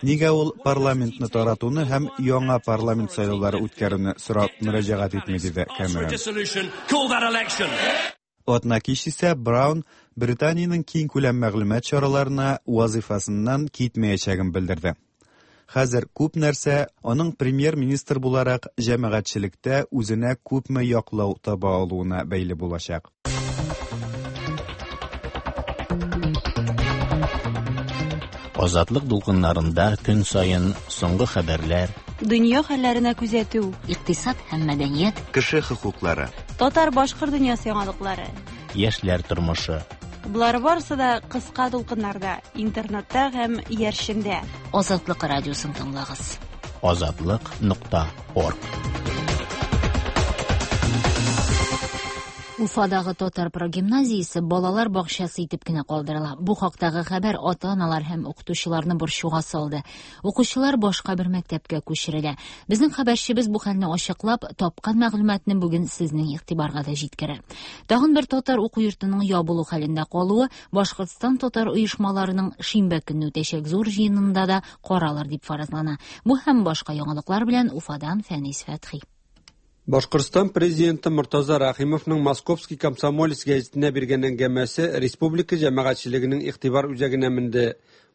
Нигә ул парламентны таратуны һәм яңа парламент сайлаулары үткәрүне сорап мөрәҗәгать итми, диде Кэмерон. Атна кич исә Браун Британиянең киңкүләм мәгълүмат чараларына вазифасыннан китмәячәген белдерде. Хәзер күп нәрсә аның премьер-министр буларак җәмәгатьчелектә үзенә күпме яклау таба алуына бәйле булачак. Азатлык дулкыннарында көн саен соңгы хәбәрләр, Дөнья хәлләренә күзәтү, икътисад һәм мәдәният, кеше хокуклары, татар-башкорт дөньясы яңалыклары, яшьләр тормышы. Болар барысы да кыска дулкыннарда, интернетта һәм иярчендә. Азатлык радиосын тыңлагыз. Азатлык нокта орг. Уфадагы татар прогимназиясе балалар бакчасы итеп кенә калдырыла. Бу хактагы хәбәр ата-аналар һәм укытучыларны борчуга салды. Укучылар башка бер мәктәпкә күчерелә. Безнең хәбәрчебез бу хәлне ачыклап, тапкан мәгълүматны бүген сезнең игътибарга да җиткерә. Тагын бер татар уку йортының ябылу хәлендә калуы Башкортстан татар оешмаларының шимбә көнне үтәчәк зур җыенында да каралыр дип фаразлана. Бу һәм башка яңалыклар белән Уфадан Фәнис Фәтхи. Башкортстан президенты Мортаза Рәхимовның Московский комсомолец гәзитенә биргән әңгәмәсе республика җәмәгатьчелегенең игътибар үзәгенә менде.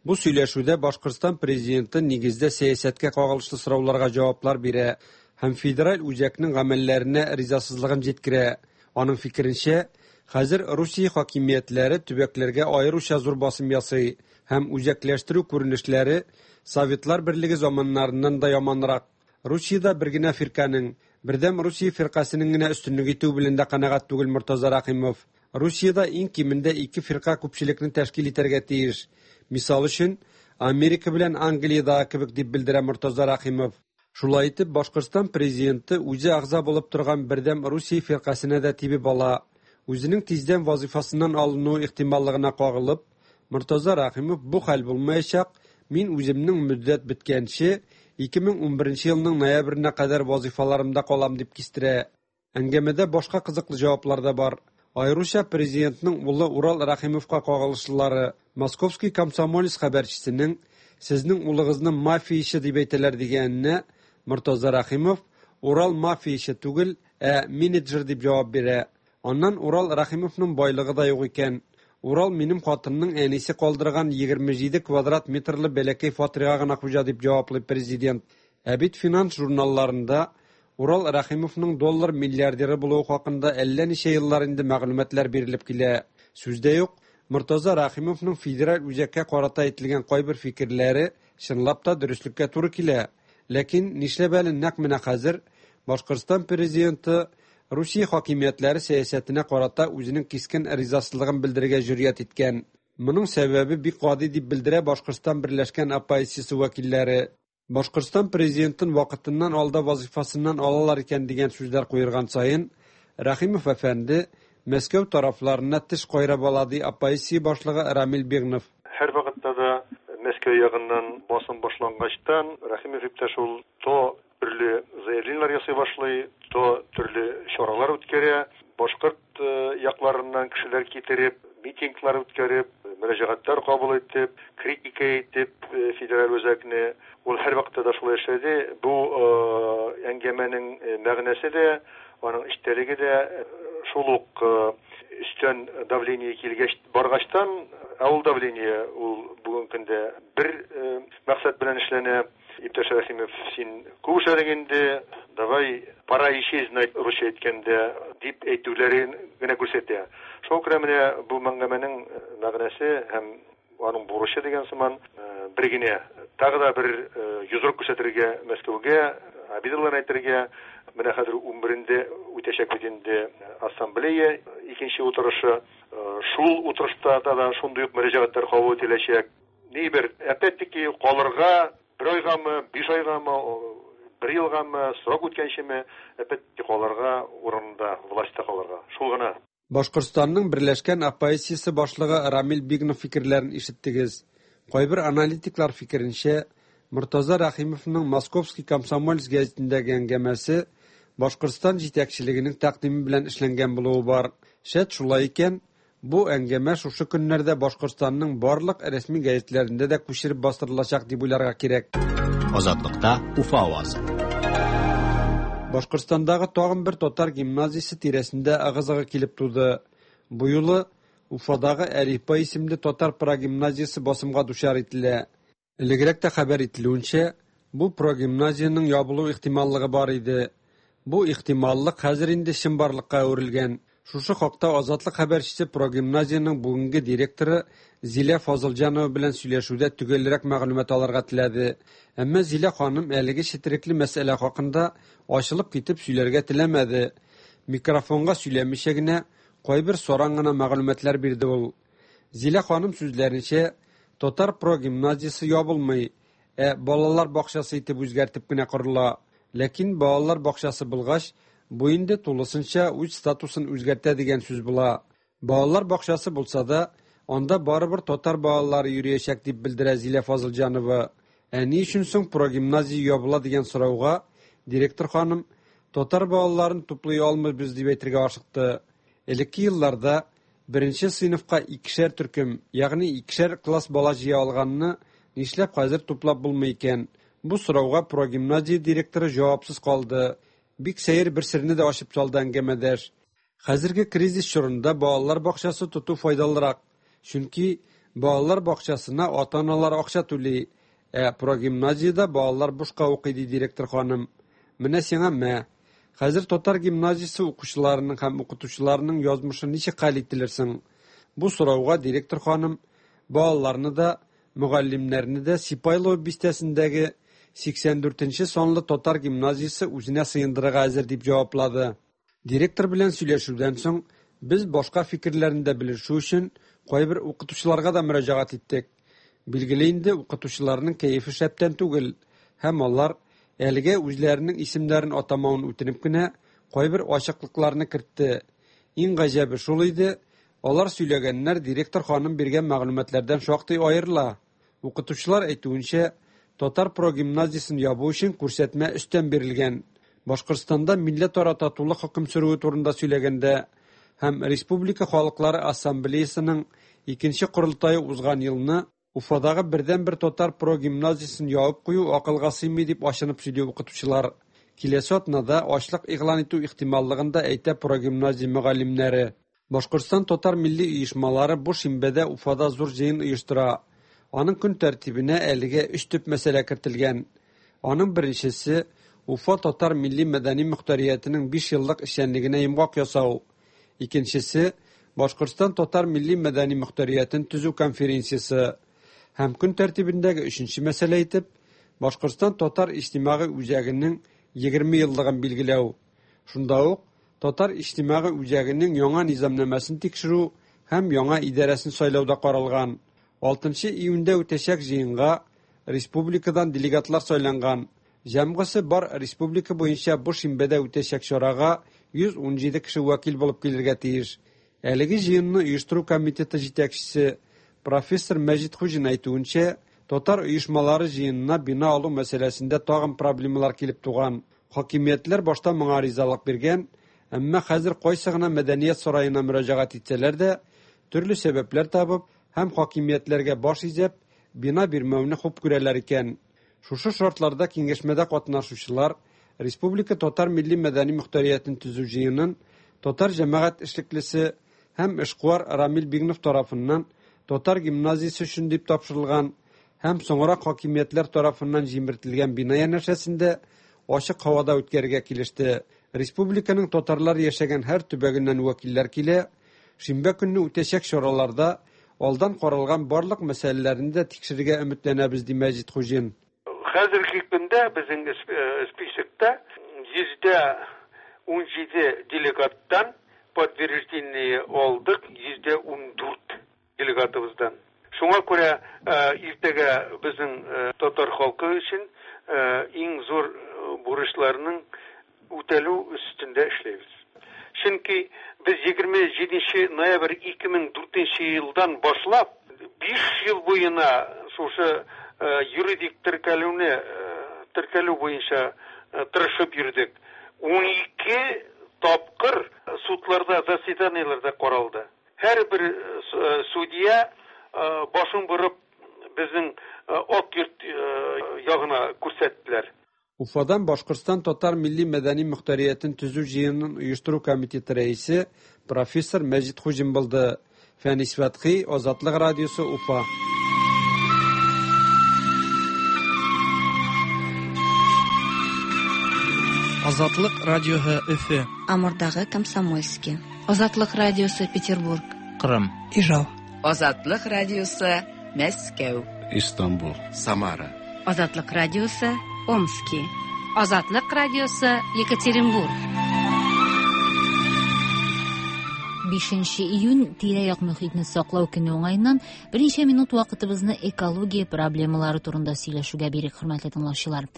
Бу сөйләшүдә Башкортстан президенты нигездә сәясәткә кагылышлы сорауларга җаваплар бирә һәм федераль үзәкнең гамәлләренә ризасызлыгын җиткерә. Аның фикеренчә, Хәзер Русия хакимиятләре төбәкләргә аеруча зур басым ясый һәм үзәкләштерү күренешләре Советлар Берлеге заманнарыннан да яманрак. Русиядә бер генә фирканең, Бердәм Русия фиркасенең генә өстенлек итүе белән дә канәгать түгел Мортаза Рәхимов. Русиядә иң кимендә ике фирка күпчелекне тәшкил итәргә тиеш. Мисал өчен, Америка белән Англиядәге кебек, дип белдерә Мортаза Рәхимов. Шулай итеп, Башкортстан президенты үзе әгъза булып торган Бердәм Русия фиркасенә дә тибеп ала. Үзенең тиздән вазыйфасыннан алынуы ихтималлыгына кагылып, Мортаза Рәхимов бу хәл булмаячак, мин үземнең мөддәт беткәнче, 2011 елның ноябренә кадәр вазыйфаларымда калам, дип кистерә. Әңгәмәдә башка кызыклы җаваплар да бар. Аеруча президентның улы Урал Рәхимовка кагылышлылары. Московский комсомолец хәбәрчесенең Сезнең улыгызны мафияче дип әйтәләр дигәненә Мортаза Рәхимов Урал мафияче түгел, ә менеджер дип җавап бирә. Аннан Урал Рәхимовның байлыгы да юк икән. Урал минем хатынның әнисе калдырган 27 квадрат метрлы бәләкәй фатирга гына хуҗа, дип җаваплый президент. Ә бит финанс журналларында Урал Рәхимовның доллар миллиардеры булуы хакында әллә ничә еллар инде мәгълүматлар бирелеп килә. Сүз дә юк, Мортаза Рәхимовның федераль үзәккә карата әйтелгән кайбер фикерләре чынлап та дөреслеккә туры килә. Ләкин нишләп әле нәкъ менә хәзер Башкортстан президенты Русия хакимиятләре сәясәтенә карата үзенең кискен ризасызлыгын белдерергә җөрьәт иткән? Моның сәбәбе бик гади, дип белдерә Башкортстан берләшкән оппозициясе вәкилләре. Башкортстан президентын вакытыннан алда вазыйфасыннан алалар икән дигән сүзләр куерган саен, Рәхимов әфәнде Мәскәү тарафларына теш кайрап ала, ди оппозиция башлыгы Рамил Бигнов. Һәрвакытта да Мәскәү ягыннан басым башлангачтан, Рәхимов иптәш ул то төрле заявлениеләр ясый башлый, то төрле чаралар үткәрә, башкорт якларыннан кешеләр китереп, митинглар үткәреп, мөрәҗәгатьләр кабул итеп, критика итеп федераль үзәкне. Ул һәрвакытта да шулай эшләде. Бу әңгәмәнең мәгънәсе дә, аның эчтәлеге дә шул ук өстән давление килгәч баргачтан, ә ул давление ул бүгенге көндә бер максат белән эшләнә. Иптәш Рәхимов, син күп эшләдең инде, давай, пора исчезнуть, русча әйткәндә, дип әйтүләрен генә күрсәтә. Шуңа күрә менә бу мәңгәмәнең мәгънәсе һәм аның бурычы дигән сыман бер генә, тагы да бер йодрык күрсәтергә Мәскәүгә, обидаларын әйтергә. Менә хәзер унберендә үтәчәк бит инде ассамблея икенче утырышы. Шул утырышта да шундый ук мөрәҗәгатьләр кабул ителәчәк. Ни бер, опять-таки, калырга бер айгамы, биш айгамы, бер елгамы, срок үткәнчеме, опять-таки калырга урынында, властьта калырга. Шул гына. Башкортстанның берләшкән оппозициясе башлыгы Рамил Бигнов фикерләрен ишеттегез. Кайбер аналитиклар фикеренчә, Мортаза Рәхимовның Московский комсомолец гәзитендәге әңгәмәсе Башкортстан җитәкчелегенең тәкъдиме белән эшләнгән булуы бар. Шәт шулай икән, бу әңгәмә шушы көннәрдә Башкортстанның барлык рәсми гәзитләрендә дә күчереп бастырылачак дип уйларга кирәк. Азатлыкта Уфа авазы. Башкортстандагы тагын бер татар гимназиясе тирәсендә ыгы-зыгы килеп туды. Бу юлы Уфадагы Әлифба исемле татар прогимназиясе басымга дучар ителә. Элегрәк тә хәбәр ителүенчә, бу прогимназиянең ябылу ихтималлыгы бар иде. Бу ихтималлык хәзер инде чынбарлыкка әверелгән. Шушы хакта Азатлык хәбәрчесе прогимназиянең бүгенге директоры Зилә Фазылҗанова белән сөйләшүдә төгәлрәк мәгълүмат алырга теләде. Әмма Зилә ханым әлеге четерекле мәсьәлә хакында ачылып китеп сөйләргә теләмәде. Микрофонга сөйләмичә генә кайбер саран гына мәгълүматлар бирде ул. Зилә ханым сүзләренчә, татар прогимназиясе ябылмый, ә балалар бакчасы итеп үзгәртеп кенә корыла. Ләкин балалар бакчасы булгач, бу инде тулысынча үз статусын үзгәртә дигән сүз була. Балалар бакчасы булса да, анда барыбер татар балалары йөриячәк, дип белдерә Зилә Фазылҗанова. Ә ни өчен соң прогимназия ябыла дигән сорауга директор ханым татар балаларын туплый алмыйбыз дип әйтергә ашыкты. Элекке елларда беренче сыйныфка икешәр төркем, ягъни икешәр класс бала җыя алганны нишләп хәзер туплап булмый икән? Бу сорауга прогимназия директоры җавапсыз калды. Бик сәер бер серне дә ачып салды әңгәмәдәш. Хәзерге кризис чорында балалар бакчасы тоту файдалырак. Чөнки балалар бакчасына ата-аналар акча түли, ә прогимназиядә балалар бушка укый, ди директор ханым. Менә сиңа мә. Хәзер татар гимназиясе укучыларының һәм укытучыларының язмышы ничек хәл ителер соң? Бу сорауга директор ханым балаларны да, мөгаллимнәрне дә Сипайлово бистәсендәге 84 нче санлы татар гимназиясе үзенә сыендырырга әзер дип җаваплады. Директор белән сөйләшүдән соң, без башка фикерләрне дә белешү өчен кайбер укытучыларга да мөрәҗәгать иттек. Билгеле инде, укытучыларның кәефе шәптән түгел һәм алар, әлегә үзләренең исемнәрен атамавын үтенеп кенә, кайбер ачыклыкларны кертте. Иң гаҗәбе шул иде, алар сөйләгәннәр директор ханым биргән мәгълүматлардан шактый аерыла. Укытучылар әйтүенчә, татар прогимназиясен ябу өчен күрсәтмә өстән бирелгән. Башкортстанда милләтара татулык хөкем сөрүе турында сөйләгәндә һәм Республика халыклары ассамблеясының икенче корылтае узган елны Уфадагы бердәнбер татар прогимназиясен ябып кую акылга сыймый дип ачынып сөйли укытучылар. Киләсе атнада ачлык игълан итү ихтималлыгын да әйтә прогимназия мөгаллимнәре. Башкортстан татар милли оешмалары бу шимбәдә Уфада зур җыен оештыра. Аның көн тәртибенә әлегә өч төп мәсьәлә кертелгән. Аның беренчесе, Уфа татар милли-мәдәни мохтариятенең биш еллык эшчәнлегенә йомгак ясау. Икенчесе, Башкортстан татар милли-мәдәни мохтариятен төзү конференциясе. Һәм көн тәртибендәге өченче мәсьәлә итеп, Башкортстан татар иҗтимагый үзәгенең 20 еллыгын билгеләү. Шунда ук Татар иҗтимагый үзәгенең яңа низамнамәсен тикшерү һәм яңа идарәсен сайлау да каралган. Алтынчы июньдә үтәчәк җыенга республикадан делегатлар сайланган. Җәмгысе бар республика буенча бу шимбәдә үтәчәк чарага 117 кеше вәкил булып килергә тиеш. Әлеге җыенны оештыру комитеты җитәкчесе профессор Мәҗит Хуҗин әйтүенчә, татар оешмалары җыенына бина алу мәсьәләсендә тагын проблемалар килеп туган. Хакимиятләр башта моңа ризалык биргән, әмма хәзер кайсы гына мәдәният сараена мөрәҗәгать итсәләр дә, төрле сәбәпләр табып һәм хакимиятләргә баш изәп, бина бирмәүне хуп күрәләр икән. Шушы шартларда киңәшмәдә катнашучылар республика татар милли-мәдәни мохтариятен төзү җыенын татар җәмәгать эшлеклесе һәм эшкуар Рамил Бигнов тарафыннан татар гимназиясе өчен дип тапшырылган һәм соңрак хакимиятләр тарафыннан җимертелгән бина янәшәсендә ачык һавада үткәрергә килеште. Республиканың татарлар яшәгән һәр төбәгеннән вәкилләр килә. Шимбә көнне үтәчәк чараларда алдан каралган барлык мәсьәләләрне дә тикшерергә өметләнәбез, ди Мәҗит Хуҗин. Хәзерге көндә безнең списокта 17% делегаттан подтверждение алдык, 14% делегатыбыздан. Шуңа күрә иртәгә безнең татар халкы өчен иң зур бурычларның үтәлү өстендә эшләйбез. Чөнки без 27 ноябрь 2004 елдан башлап 5 ел буена шушы юридик теркәлүне теркәлү буенча тырышып йөрдек. 12 тапкыр судларда заседаниеләрдә каралды. Һәрбер судья башын борып безнең Ак йорт ягына күрсәттеләр. Уфадан Башкортстан татар милли-мәдәни мохтариятен төзү җыенын оештыру комитеты рәисе профессор Мәҗит Хуҗин булды. Фәнис Фәтхи, Азатлык радиосы, Уфа. Азатлык радиоһы Өфе. Амурдагы Комсомольский. Азатлык радиосы Петербург. Кырым. Ижау. Азатлык радиосы Мәскәү. Истанбул. Самара. Азатлык радиосы Омски. Азатлык радиосы Екатеринбург. 5 июнь тирә-як мөхитне саклау көне уңаеннан берничә минут вакытыбызны экология проблемалары турында сөйләшүгә бирик, хөрмәтле тыңлаучылар.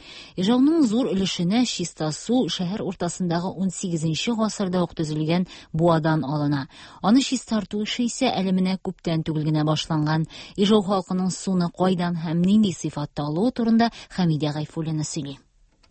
Ижауның зур өлешенә чиста су шәһәр уртасындагы 18 гасырда ук төзелгән буадан алына. Аны чистарту эше исә әле менә күптән түгел генә башланган. Ижау халкының суны кайдан һәм нинди сыйфатта алуы турында Хәмидә Гайфуллина сөйли.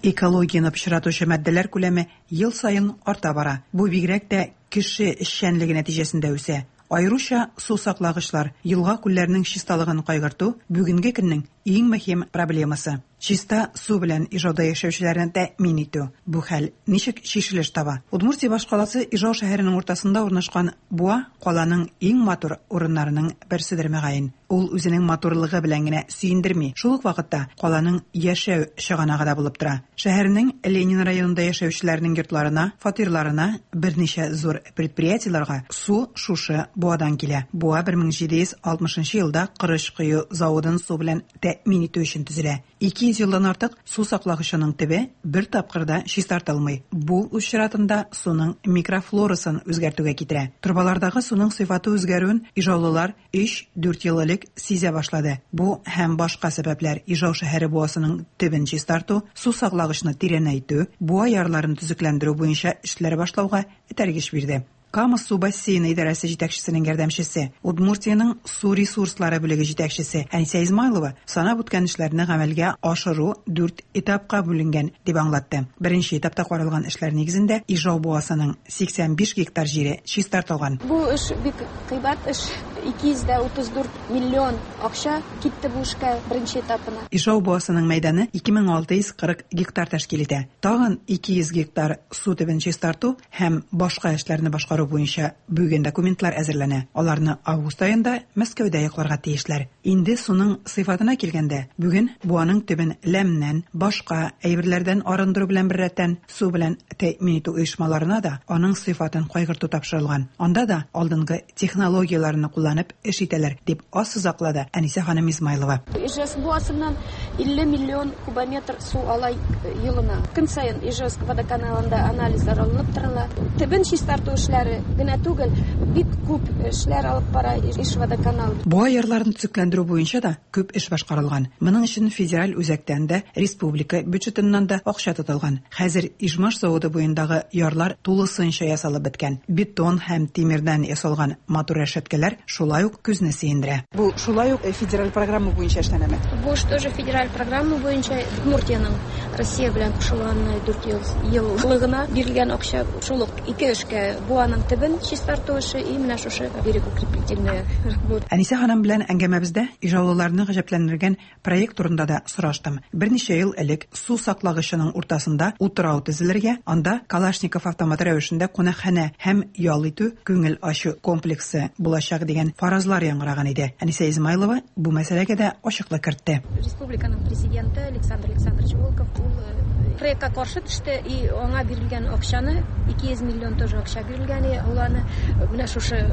Экологияне пычратучы матдәләр күләме ел саен арта бара. Бу бигрәк тә кеше эшчәнлеге нәтиҗәсендә үсә. Аеруча су саклагычлар, елга-күлләрнең чисталыгын кайгырту бүгенге көннең иң мөһим проблемасы, чиста су белән Ижауда яшәүчеләрне тәэмин итү. Бу хәл ничек чишелеш таба? Удмуртия башкаласы Ижау шәһәренең уртасында урнашкан буа каланың иң матур урыннарының берседер мөгаен. Ул үзенең матурлыгы белән генә сөендерми, шул ук вакытта каланың яшәү чыганагы да булып тора. Шәһәрнең Ленин районында яшәүчеләрнең йортларына, фатирларына, берничә зур предприятиеләргә су шушы буадан килә. Буа 1760 нчы елда корыч кою заводын су белән тәэмин итү өчен төзелә. 200 елдан артык су саклагычының төбе бер тапкыр да чистартылмый. Бу, үз чиратында, суның микрофлорасын үзгәртүгә китерә. Торбалардагы суның сыйфаты үзгәрүен ижаулылар өч-дүрт ел элек сизә башлады. Бу һәм башка сәбәпләр Ижау шәһәре буасының төбен чистарту, су саклагычны тирәнәйтү, буа ярларын төзекләндерү буенча эшләр башлауга этәргеч бирде. Кама су бассейны идарәсе җитәкчесенең ярдәмчесе, Удмуртиянең су ресурслары бүлеге җитәкчесе Әнисә Измайлова санап үткән эшләрне гамәлгә ашыру дүрт этапка бүленгән, дип аңлатты. Беренче этапта каралган эшләр нигезендә Ижау буасының 85 гектар җире чистартылган. Бу эш бик кыйбат эш, 234 миллион акча китте бу эшкә, беренче этапына. Ижау буасының мәйданы 2640 гектар тәшкил итә. Тагын 200 гектар су төбен чистарту һәм башка эшләрне башкару буенча бүген документлар әзерләнә. Аларны август аенда Мәскәүдә якларга тиешләр. Инде суның сыйфатына килгәндә, бүген буаның төбен ләмнән, башка әйберләрдән арындыру белән беррәттән, су белән тәэмин итү оешмаларына да аның сыйфатын кайгырту тапшырылган. Анда да алдынгы технологияләрне кулланып эш итәләр, дип ассызаклады Әнисә ханым Измайлова. Ижевск буасыннан 50 миллион кубометр су ала елына. Көн саен Ижевск водоканалында анализлар алынып торыла. Төбен чистарту эшләре генә түгел, бик күп эшләр алып бара Ижводоканал. Буа ярларын төзекләндерү буенча да күп эш башкарылган. Моның өчен федераль үзәктән дә, республика бюджетыннан да акча тотылган. Хәзер Ижмаш заводы буендагы ярлар тулысынча ясалып беткән. Бетон һәм тимердән ясалган матур рәшәткәләр шулай ук күзне сөендерә. Бу шулай ук федераль программа буенча эшләнәме? Бу эш тоже федераль программа буенча Удмуртиянең Россия белән кушылганына 400 еллыгына бирелгән акча. Шул ук ике эшкә буаның төбен чистарту эше и менә шушы берегоукрепительная работа. Әнисә ханым белән әңгәмәбездә ижаулыларны гаҗәпләндергән Проект турында да сораштым. Берничә ел элек су саклагычының уртасында утрау төзелергә, анда Калашников автоматы рәвешендә кунакханә һәм ял итү, күңел ачу комплексы булачак дигән фаразлар яңгыраган иде. Әнисә Измайлова бу мәсьәләгә дә ачыклык кертте. Республиканың президенты Александр Александрович Волков ул проектка каршы төште и аңа бирелгән акчаны, 200 миллион тоже акча бирелгән, и ул аны менә шушы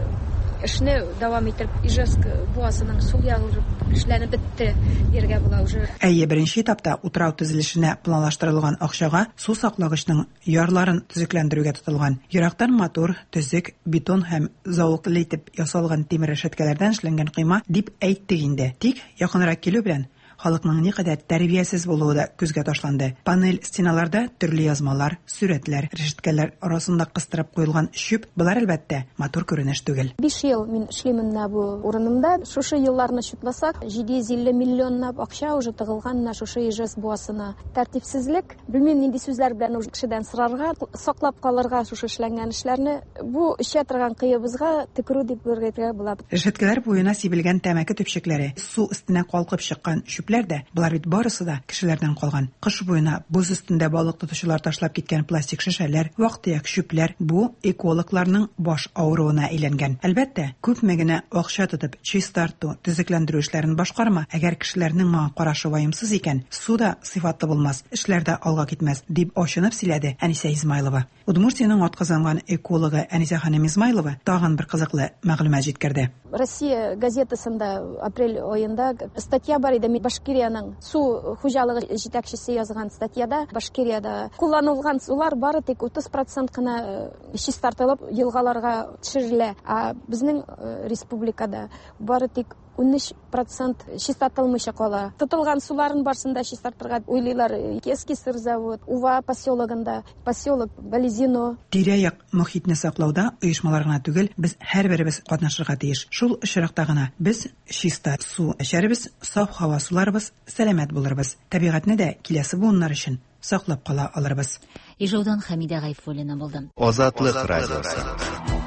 эшне дәвам итеп, Ижевск буасының сул ягы эшләнеп бетте дияргә була уже. Әйе, беренче этапта утрау төзелешенә планлаштырылган акчага су саклагычның ярларын төзекләндерүгә тотылган. Ерактан матур, төзек, бетон һәм зәвыклы итеп ясалган тимер рәшәткәләрдән эшләнгән койма дип әйттек инде. Тик якынрак килү белән, Халыкның никадәр тәрбиясез булуы да күзгә ташланды. Панель стеналарда төрле язмалар, сурәтләр, рәшәткәләр арасында кыстырып куелган чүп, болар, әлбәттә, матур күренеш түгел. Биш ел мин эшлим менә бу урынымда. Шушы елларны чутласак, 750 миллионлап акча уже тыгылган менә шушы Ижевск буасына. Тәртипсезлек, белмим нинди сүзләр белән уже кешедән сорарга, саклап калырга шушы эшләнгән эшләрне. Бу эчә торган коебызга төкерү дип әйтергә була. Рәшәткәләр буена сибелгән тәмәке төпчекләре, су өстенә калкып чыккан чүпләр дә, болар бит барысы да кешеләрдән калган. Кыш буена боз өстендә балык тотучылар ташлап киткән пластик шешәләр, вак-төяк чүпләр бу экологларның баш авыруына әйләнгән. Әлбәттә, күпме генә акча тотып чистарту, төзекләндерү эшләрен башкарма, әгәр кешеләрнең моңа карашы ваемсыз икән, су да сыйфатлы булмас, эшләр дә алга китмәс, дип ачынып сөйләде Әнисә Измайлова. Удмуртиянең атказанган экологы Әнисә ханым Измайлова тагын бер кызыклы мәгълүмат җиткерде. Россия газетасында апрель аенда статья бар иде, Башкириянең су хуҗалыгы җитәкчесе язган статьяда Башкириядә кулланылган сулар бары тик 30 процент кына э, чистартылып елгаларга төшерелә, ә безнең э, республикада бары тик 13 процент чистартылмыйча кала. Тотылган суларын барсын да чистартырга уйлыйлар. Киевский сырзавод, Ува поселогында, поселок Балезино. Тирә-як мохитне саклауда оешмалар гына түгел, без һәрберебез катнашырга тиеш. Шул очракта гына без чиста су эчәрбез, саф һава суларбыз, сәламәт булырбыз. Табигатьне дә киләсе буыннар өчен саклап кала алырбыз. Ижаудан Хәмидә Гайфуллина булды. Азатлык радиосы.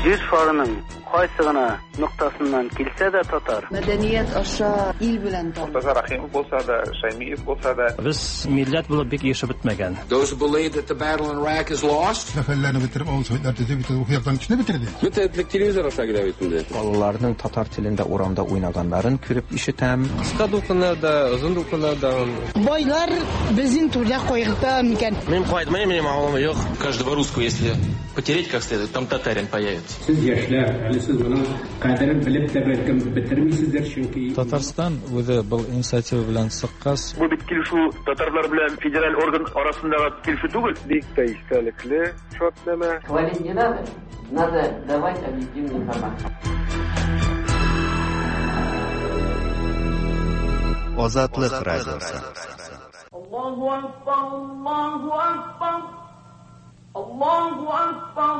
Җир шарының кайсы гына ноктасыннан килсә дә татар. Мәдәният аша ил белән таныш. Мортаза Рәхимов булса да, Шәймиев булса да. Без милләт булып бик ирешеп бетмәгән. Those who believe that the battle in Iraq is lost. Сәфәрләрне бетереп, авыл советлар төзеп, бит ул яктан кешене бетерде. Бөтен этлек телевизор аша килә бит инде. Балаларның татар телендә урамда уйнаганнарын күреп ишетәм. Кыска дулкыннар да, озын дулкыннар да. Байлар безнең түрдә кайгырта микән? Мин кайтмыйм, минем авылым юк. Каждого русского, если потереть как следует, там татарин появится. Сез яшьләр, әле сез моның кадерен белеп тә бәлкем бетермисездер, чөнки Татарстан үзе был инициатива белән чыккач, Бу бит килешү татарлар белән федераль орган арасындагы килешү түгел. Бик тә истәлекле шартнамә. Хвалить не надо, надо давать объективную информацию. Азатлык радиосы. Аллаһу акбар, Аллаһу акбар. Аллаһу акбар,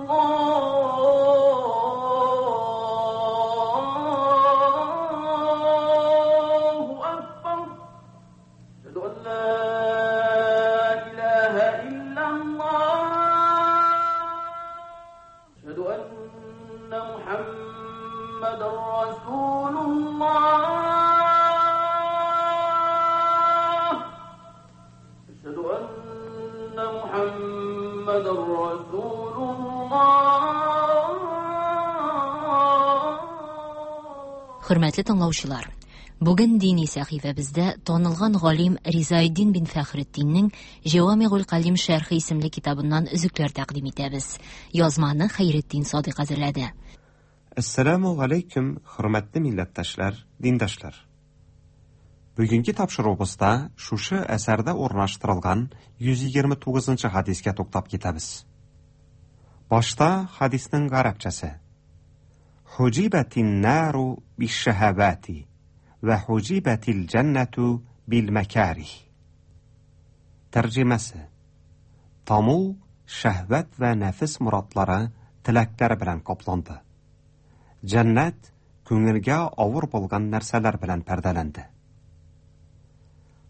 Аллаһу акбар. Әшһәду ан ла илаһа иллаллаһ. Әшһәду анна Мухаммадан расулуллаһ. Әшһәду анна Мухаммадан расулуллаһ. Хөрмәтле тыңлаучылар, бүген дини сәхифәбездә танылган галим Ризаэддин бин Фәхретдиннең Җәвамигуль Калим шәрхе исемле китабыннан өзекләр тәкъдим итәбез. Язманы Хәйретдин Садыйк әзерләде. Әссәламү галәйкүм, хөрмәтле милләттәшләр, диндашлар. Бүгенге тапшыруыбызда шушы әсәрдә урнаштырылган 129 нчы хадискә туктап китәбез. Башта хадисның гарәпчәсе. Хуҗибәтин нару бишшәһәвати вә хуҗибәтил җәннәтү бил мәкарих. Тәрҗемәсе. Таму шәһвәт вә нәфес морадлары, теләкләре белән капланды. Җәннәт күңелгә авыр булган нәрсәләр белән пәрдәләнде.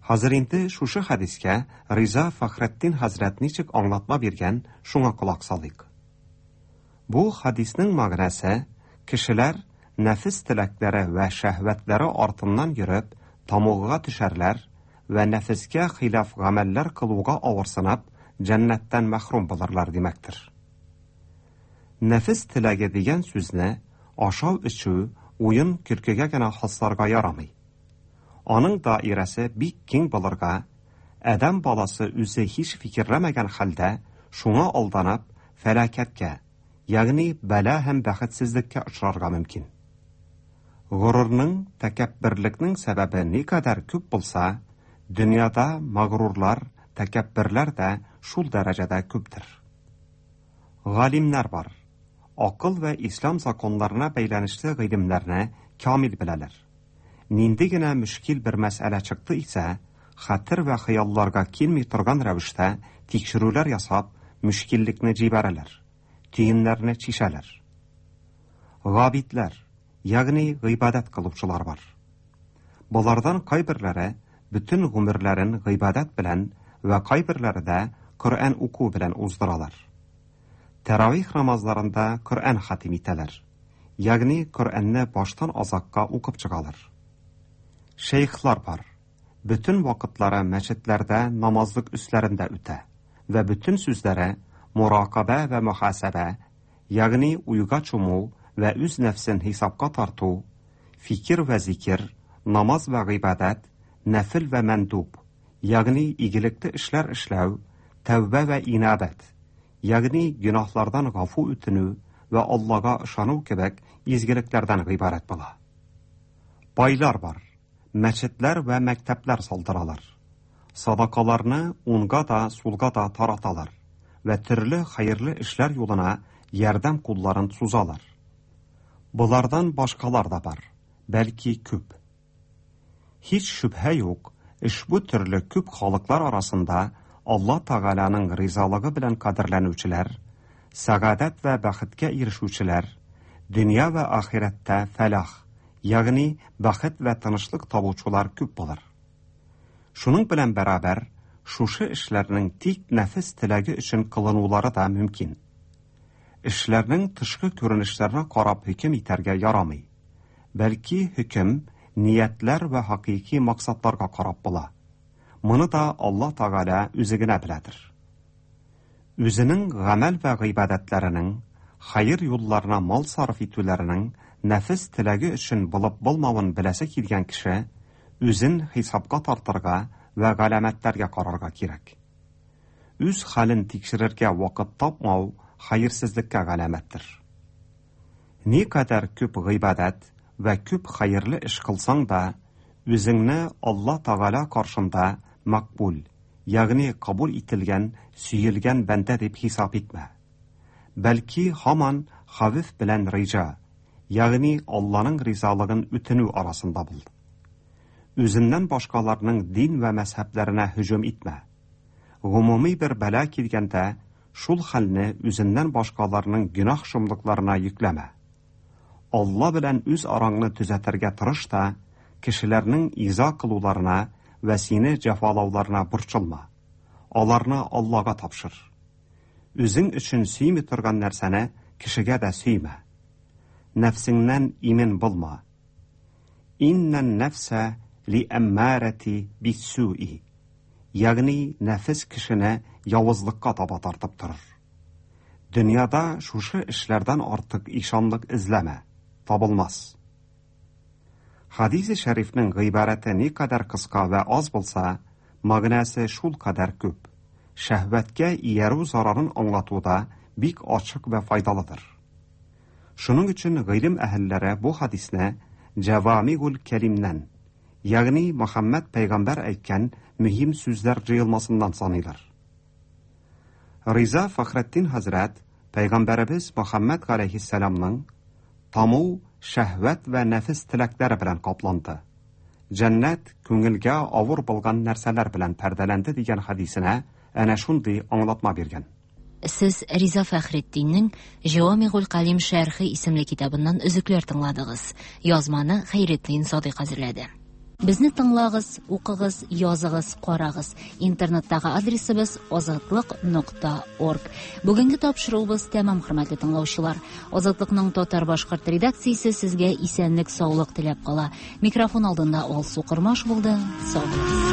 Хәзер инде шушы хәдискә Риза Фәхретдин хәзрәт ничек аңлатма биргән, шуңа колак салыйк. Бу хәдиснең мәгънәсе, кешеләр нәфес теләкләре вә шәһвәтләре артыннан йөреп, тамугга төшәрләр вә нәфескә хилаф гамәлләр кылуга авырсынып, җәннәттән мәхрүм булырлар димәктер. Нәфес теләге дигән сүзне ашау-эчү, уен-көлкегә генә хасларга ярамый. Аның даирәсе бик киң булырга, адәм баласы үзе һич фикерләмәгән хәлдә шуңа алданып, фәлакәткә, ягъни бәла һәм бәхетсезлеккә очрарга мөмкин. Горурның, тәкәбберлекнең сәбәбе никадәр күп булса, дөньяда магрурлар, тәкәбберләр дә шул дәрәҗәдә күптер. Галимнәр бар. Акыл вә ислам законнарына бәйләнешле гыйлемнәрне камил беләләр. Нинди генә мөшкил бер мәсьәлә чыкты исә, хәтер вә хыялларга килми торган рәвештә тикшерүләр ясап, мөшкиллекне җибәрәләр, төеннәрне чишәләр. Габидләр, ягъни гыйбадәт кылучылар бар. Болардан кайберләре бөтен гомерләрен гыйбадәт белән вә кайберләре дә Коръән уку белән уздыралар. Тәравих намазларында Коръән хатим итәләр, ягъни Коръәнне баштан азакка укып чыгалар. Шәйхлар бар. Бөтен вакытлары мәчетләрдә намазлык өсләрендә үтә вә бөтен сүзләре муракабә вә мөхасәбә, ягъни уйга чуму вә үз нәфсен хисапка тарту, фикер вә зикер, намаз вә гыйбадәт, нәфел вә мәндуб, ягъни игелекле эшләр эшләү, тәүбә вә инабәт, ягъни гөнаһлардан гафу үтенү вә Аллага ышану кебек изгелекләрдән гыйбарәт була. Байлар бар, мәчетләр вә мәктәпләр салдыралар. Садакаларны уңга да, сулга да тараталар вә төрле хәерле эшләр юлына ярдәм кулларын сузалар. Болардан башкалар да бар, бәлки күп. Һич шөбһә юк, ошбу төрле күп халыклар арасында Алла Тәгаләнең ризалыгы белән кадерләнүчеләр, сәгадәт вә бәхеткә ирешүчеләр, дөнья вә ахирәттә фәлах, ягъни бәхет вә тынычлык табучылар күп булыр. Шуның белән бәрабәр, шушы эшләрнең тик нәфес теләге өчен кылынулары да мөмкин. Эшләрнең тышкы күренешләренә карап хөкем итәргә ярамый. Бәлки хөкем ниятләр вә хакыйки максатларга карап була. Моны да Алла Тәгалә үзе генә беләдер. Үзенең гамәл вә гыйбадәтләренең, хәер юлларына мал сарыф итүләренең нәфес теләге өчен булып булмавын беләсе килгән кеше үзен хисапка тартырга вә галәмәтләргә карарга кирәк. Үз хәлен тикшерергә вакыт тапмау хәерсезлеккә галәмәттер. Никадәр күп гыйбадәт вә күп хәерле эш кылсаң да, үзеңне Алла Тәгалә каршында мәкбүл, ягъни кабул ителгән, сөелгән бәндә дип хисап итмә. Бәлки һаман хәвеф белән риҗа, ягъни Алланың ризалыгын үтенү арасында бул. Үзеннән башкаларның дин вә мәзһәбләренә һөҗүм итмә. Гомуми бер бәла килгәндә, шул хәлне үзеннән башкаларның гөнаһ шомлыкларына йөкләмә. Алла белән үз араңны төзәтергә тырыш та, кешеләрнең иза кылуларына вә сине җәфалауларына борчылма. Аларны Аллага тапшыр. Үзең өчен сөйми торган нәрсәне кешегә дә сөймә. Нәфсеңнән имин булма. Иннән нәфсә ли әммарәти биссуи. Ягъни нәфес кешене явызлыкка таба тартып торыр. Дөньяда шушы эшләрдән артык ишанлык эзләмә, табылмас. Хадисе шәрифнең гыйбарәте никадәр кыска вә аз булса, мәгънәсе шулкадәр күп. Шәһвәткә иярү зарарын аңлатуда бик ачык вә файдалыдыр. Шуның өчен гыйлем әһелләре бу хадисне Җәвамигул Кәлимнән, ягъни Мөхәммәд пәйгамбәр әйткән мөһим сүзләр җыелмасыннан саныйлар. Риза Фәхретдин хәзрәт пәйгамбәребез Мөхәммәд галәйһиссәламның Таму шәһвәт вә нәфес теләкләре белән капланды. Җәннәт күңелгә авыр булган нәрсәләр белән пәрдәләнде дигән хәдисенә әнә шундый аңлатма биргән. Сез Риза Фәхретдиннең Җәвамигуль Калим шәрхе исемле китабыннан өзекләр тыңладыгыз. Язманы Хәйретдин Садыйк әзерләде. Безне тыңлагыз, укыгыз, языгыз, карагыз. Интернеттагы адресыбыз азатлык.орг. Бүгенге тапшыруыбыз тәмам, хөрмәтле тыңлаучылар. Азатлыкның татар-башкорт редакциясе сезгә исәнлек-саулык теләп кала. Микрофон алдында Алсу Кормаш булды. Сау булыгыз.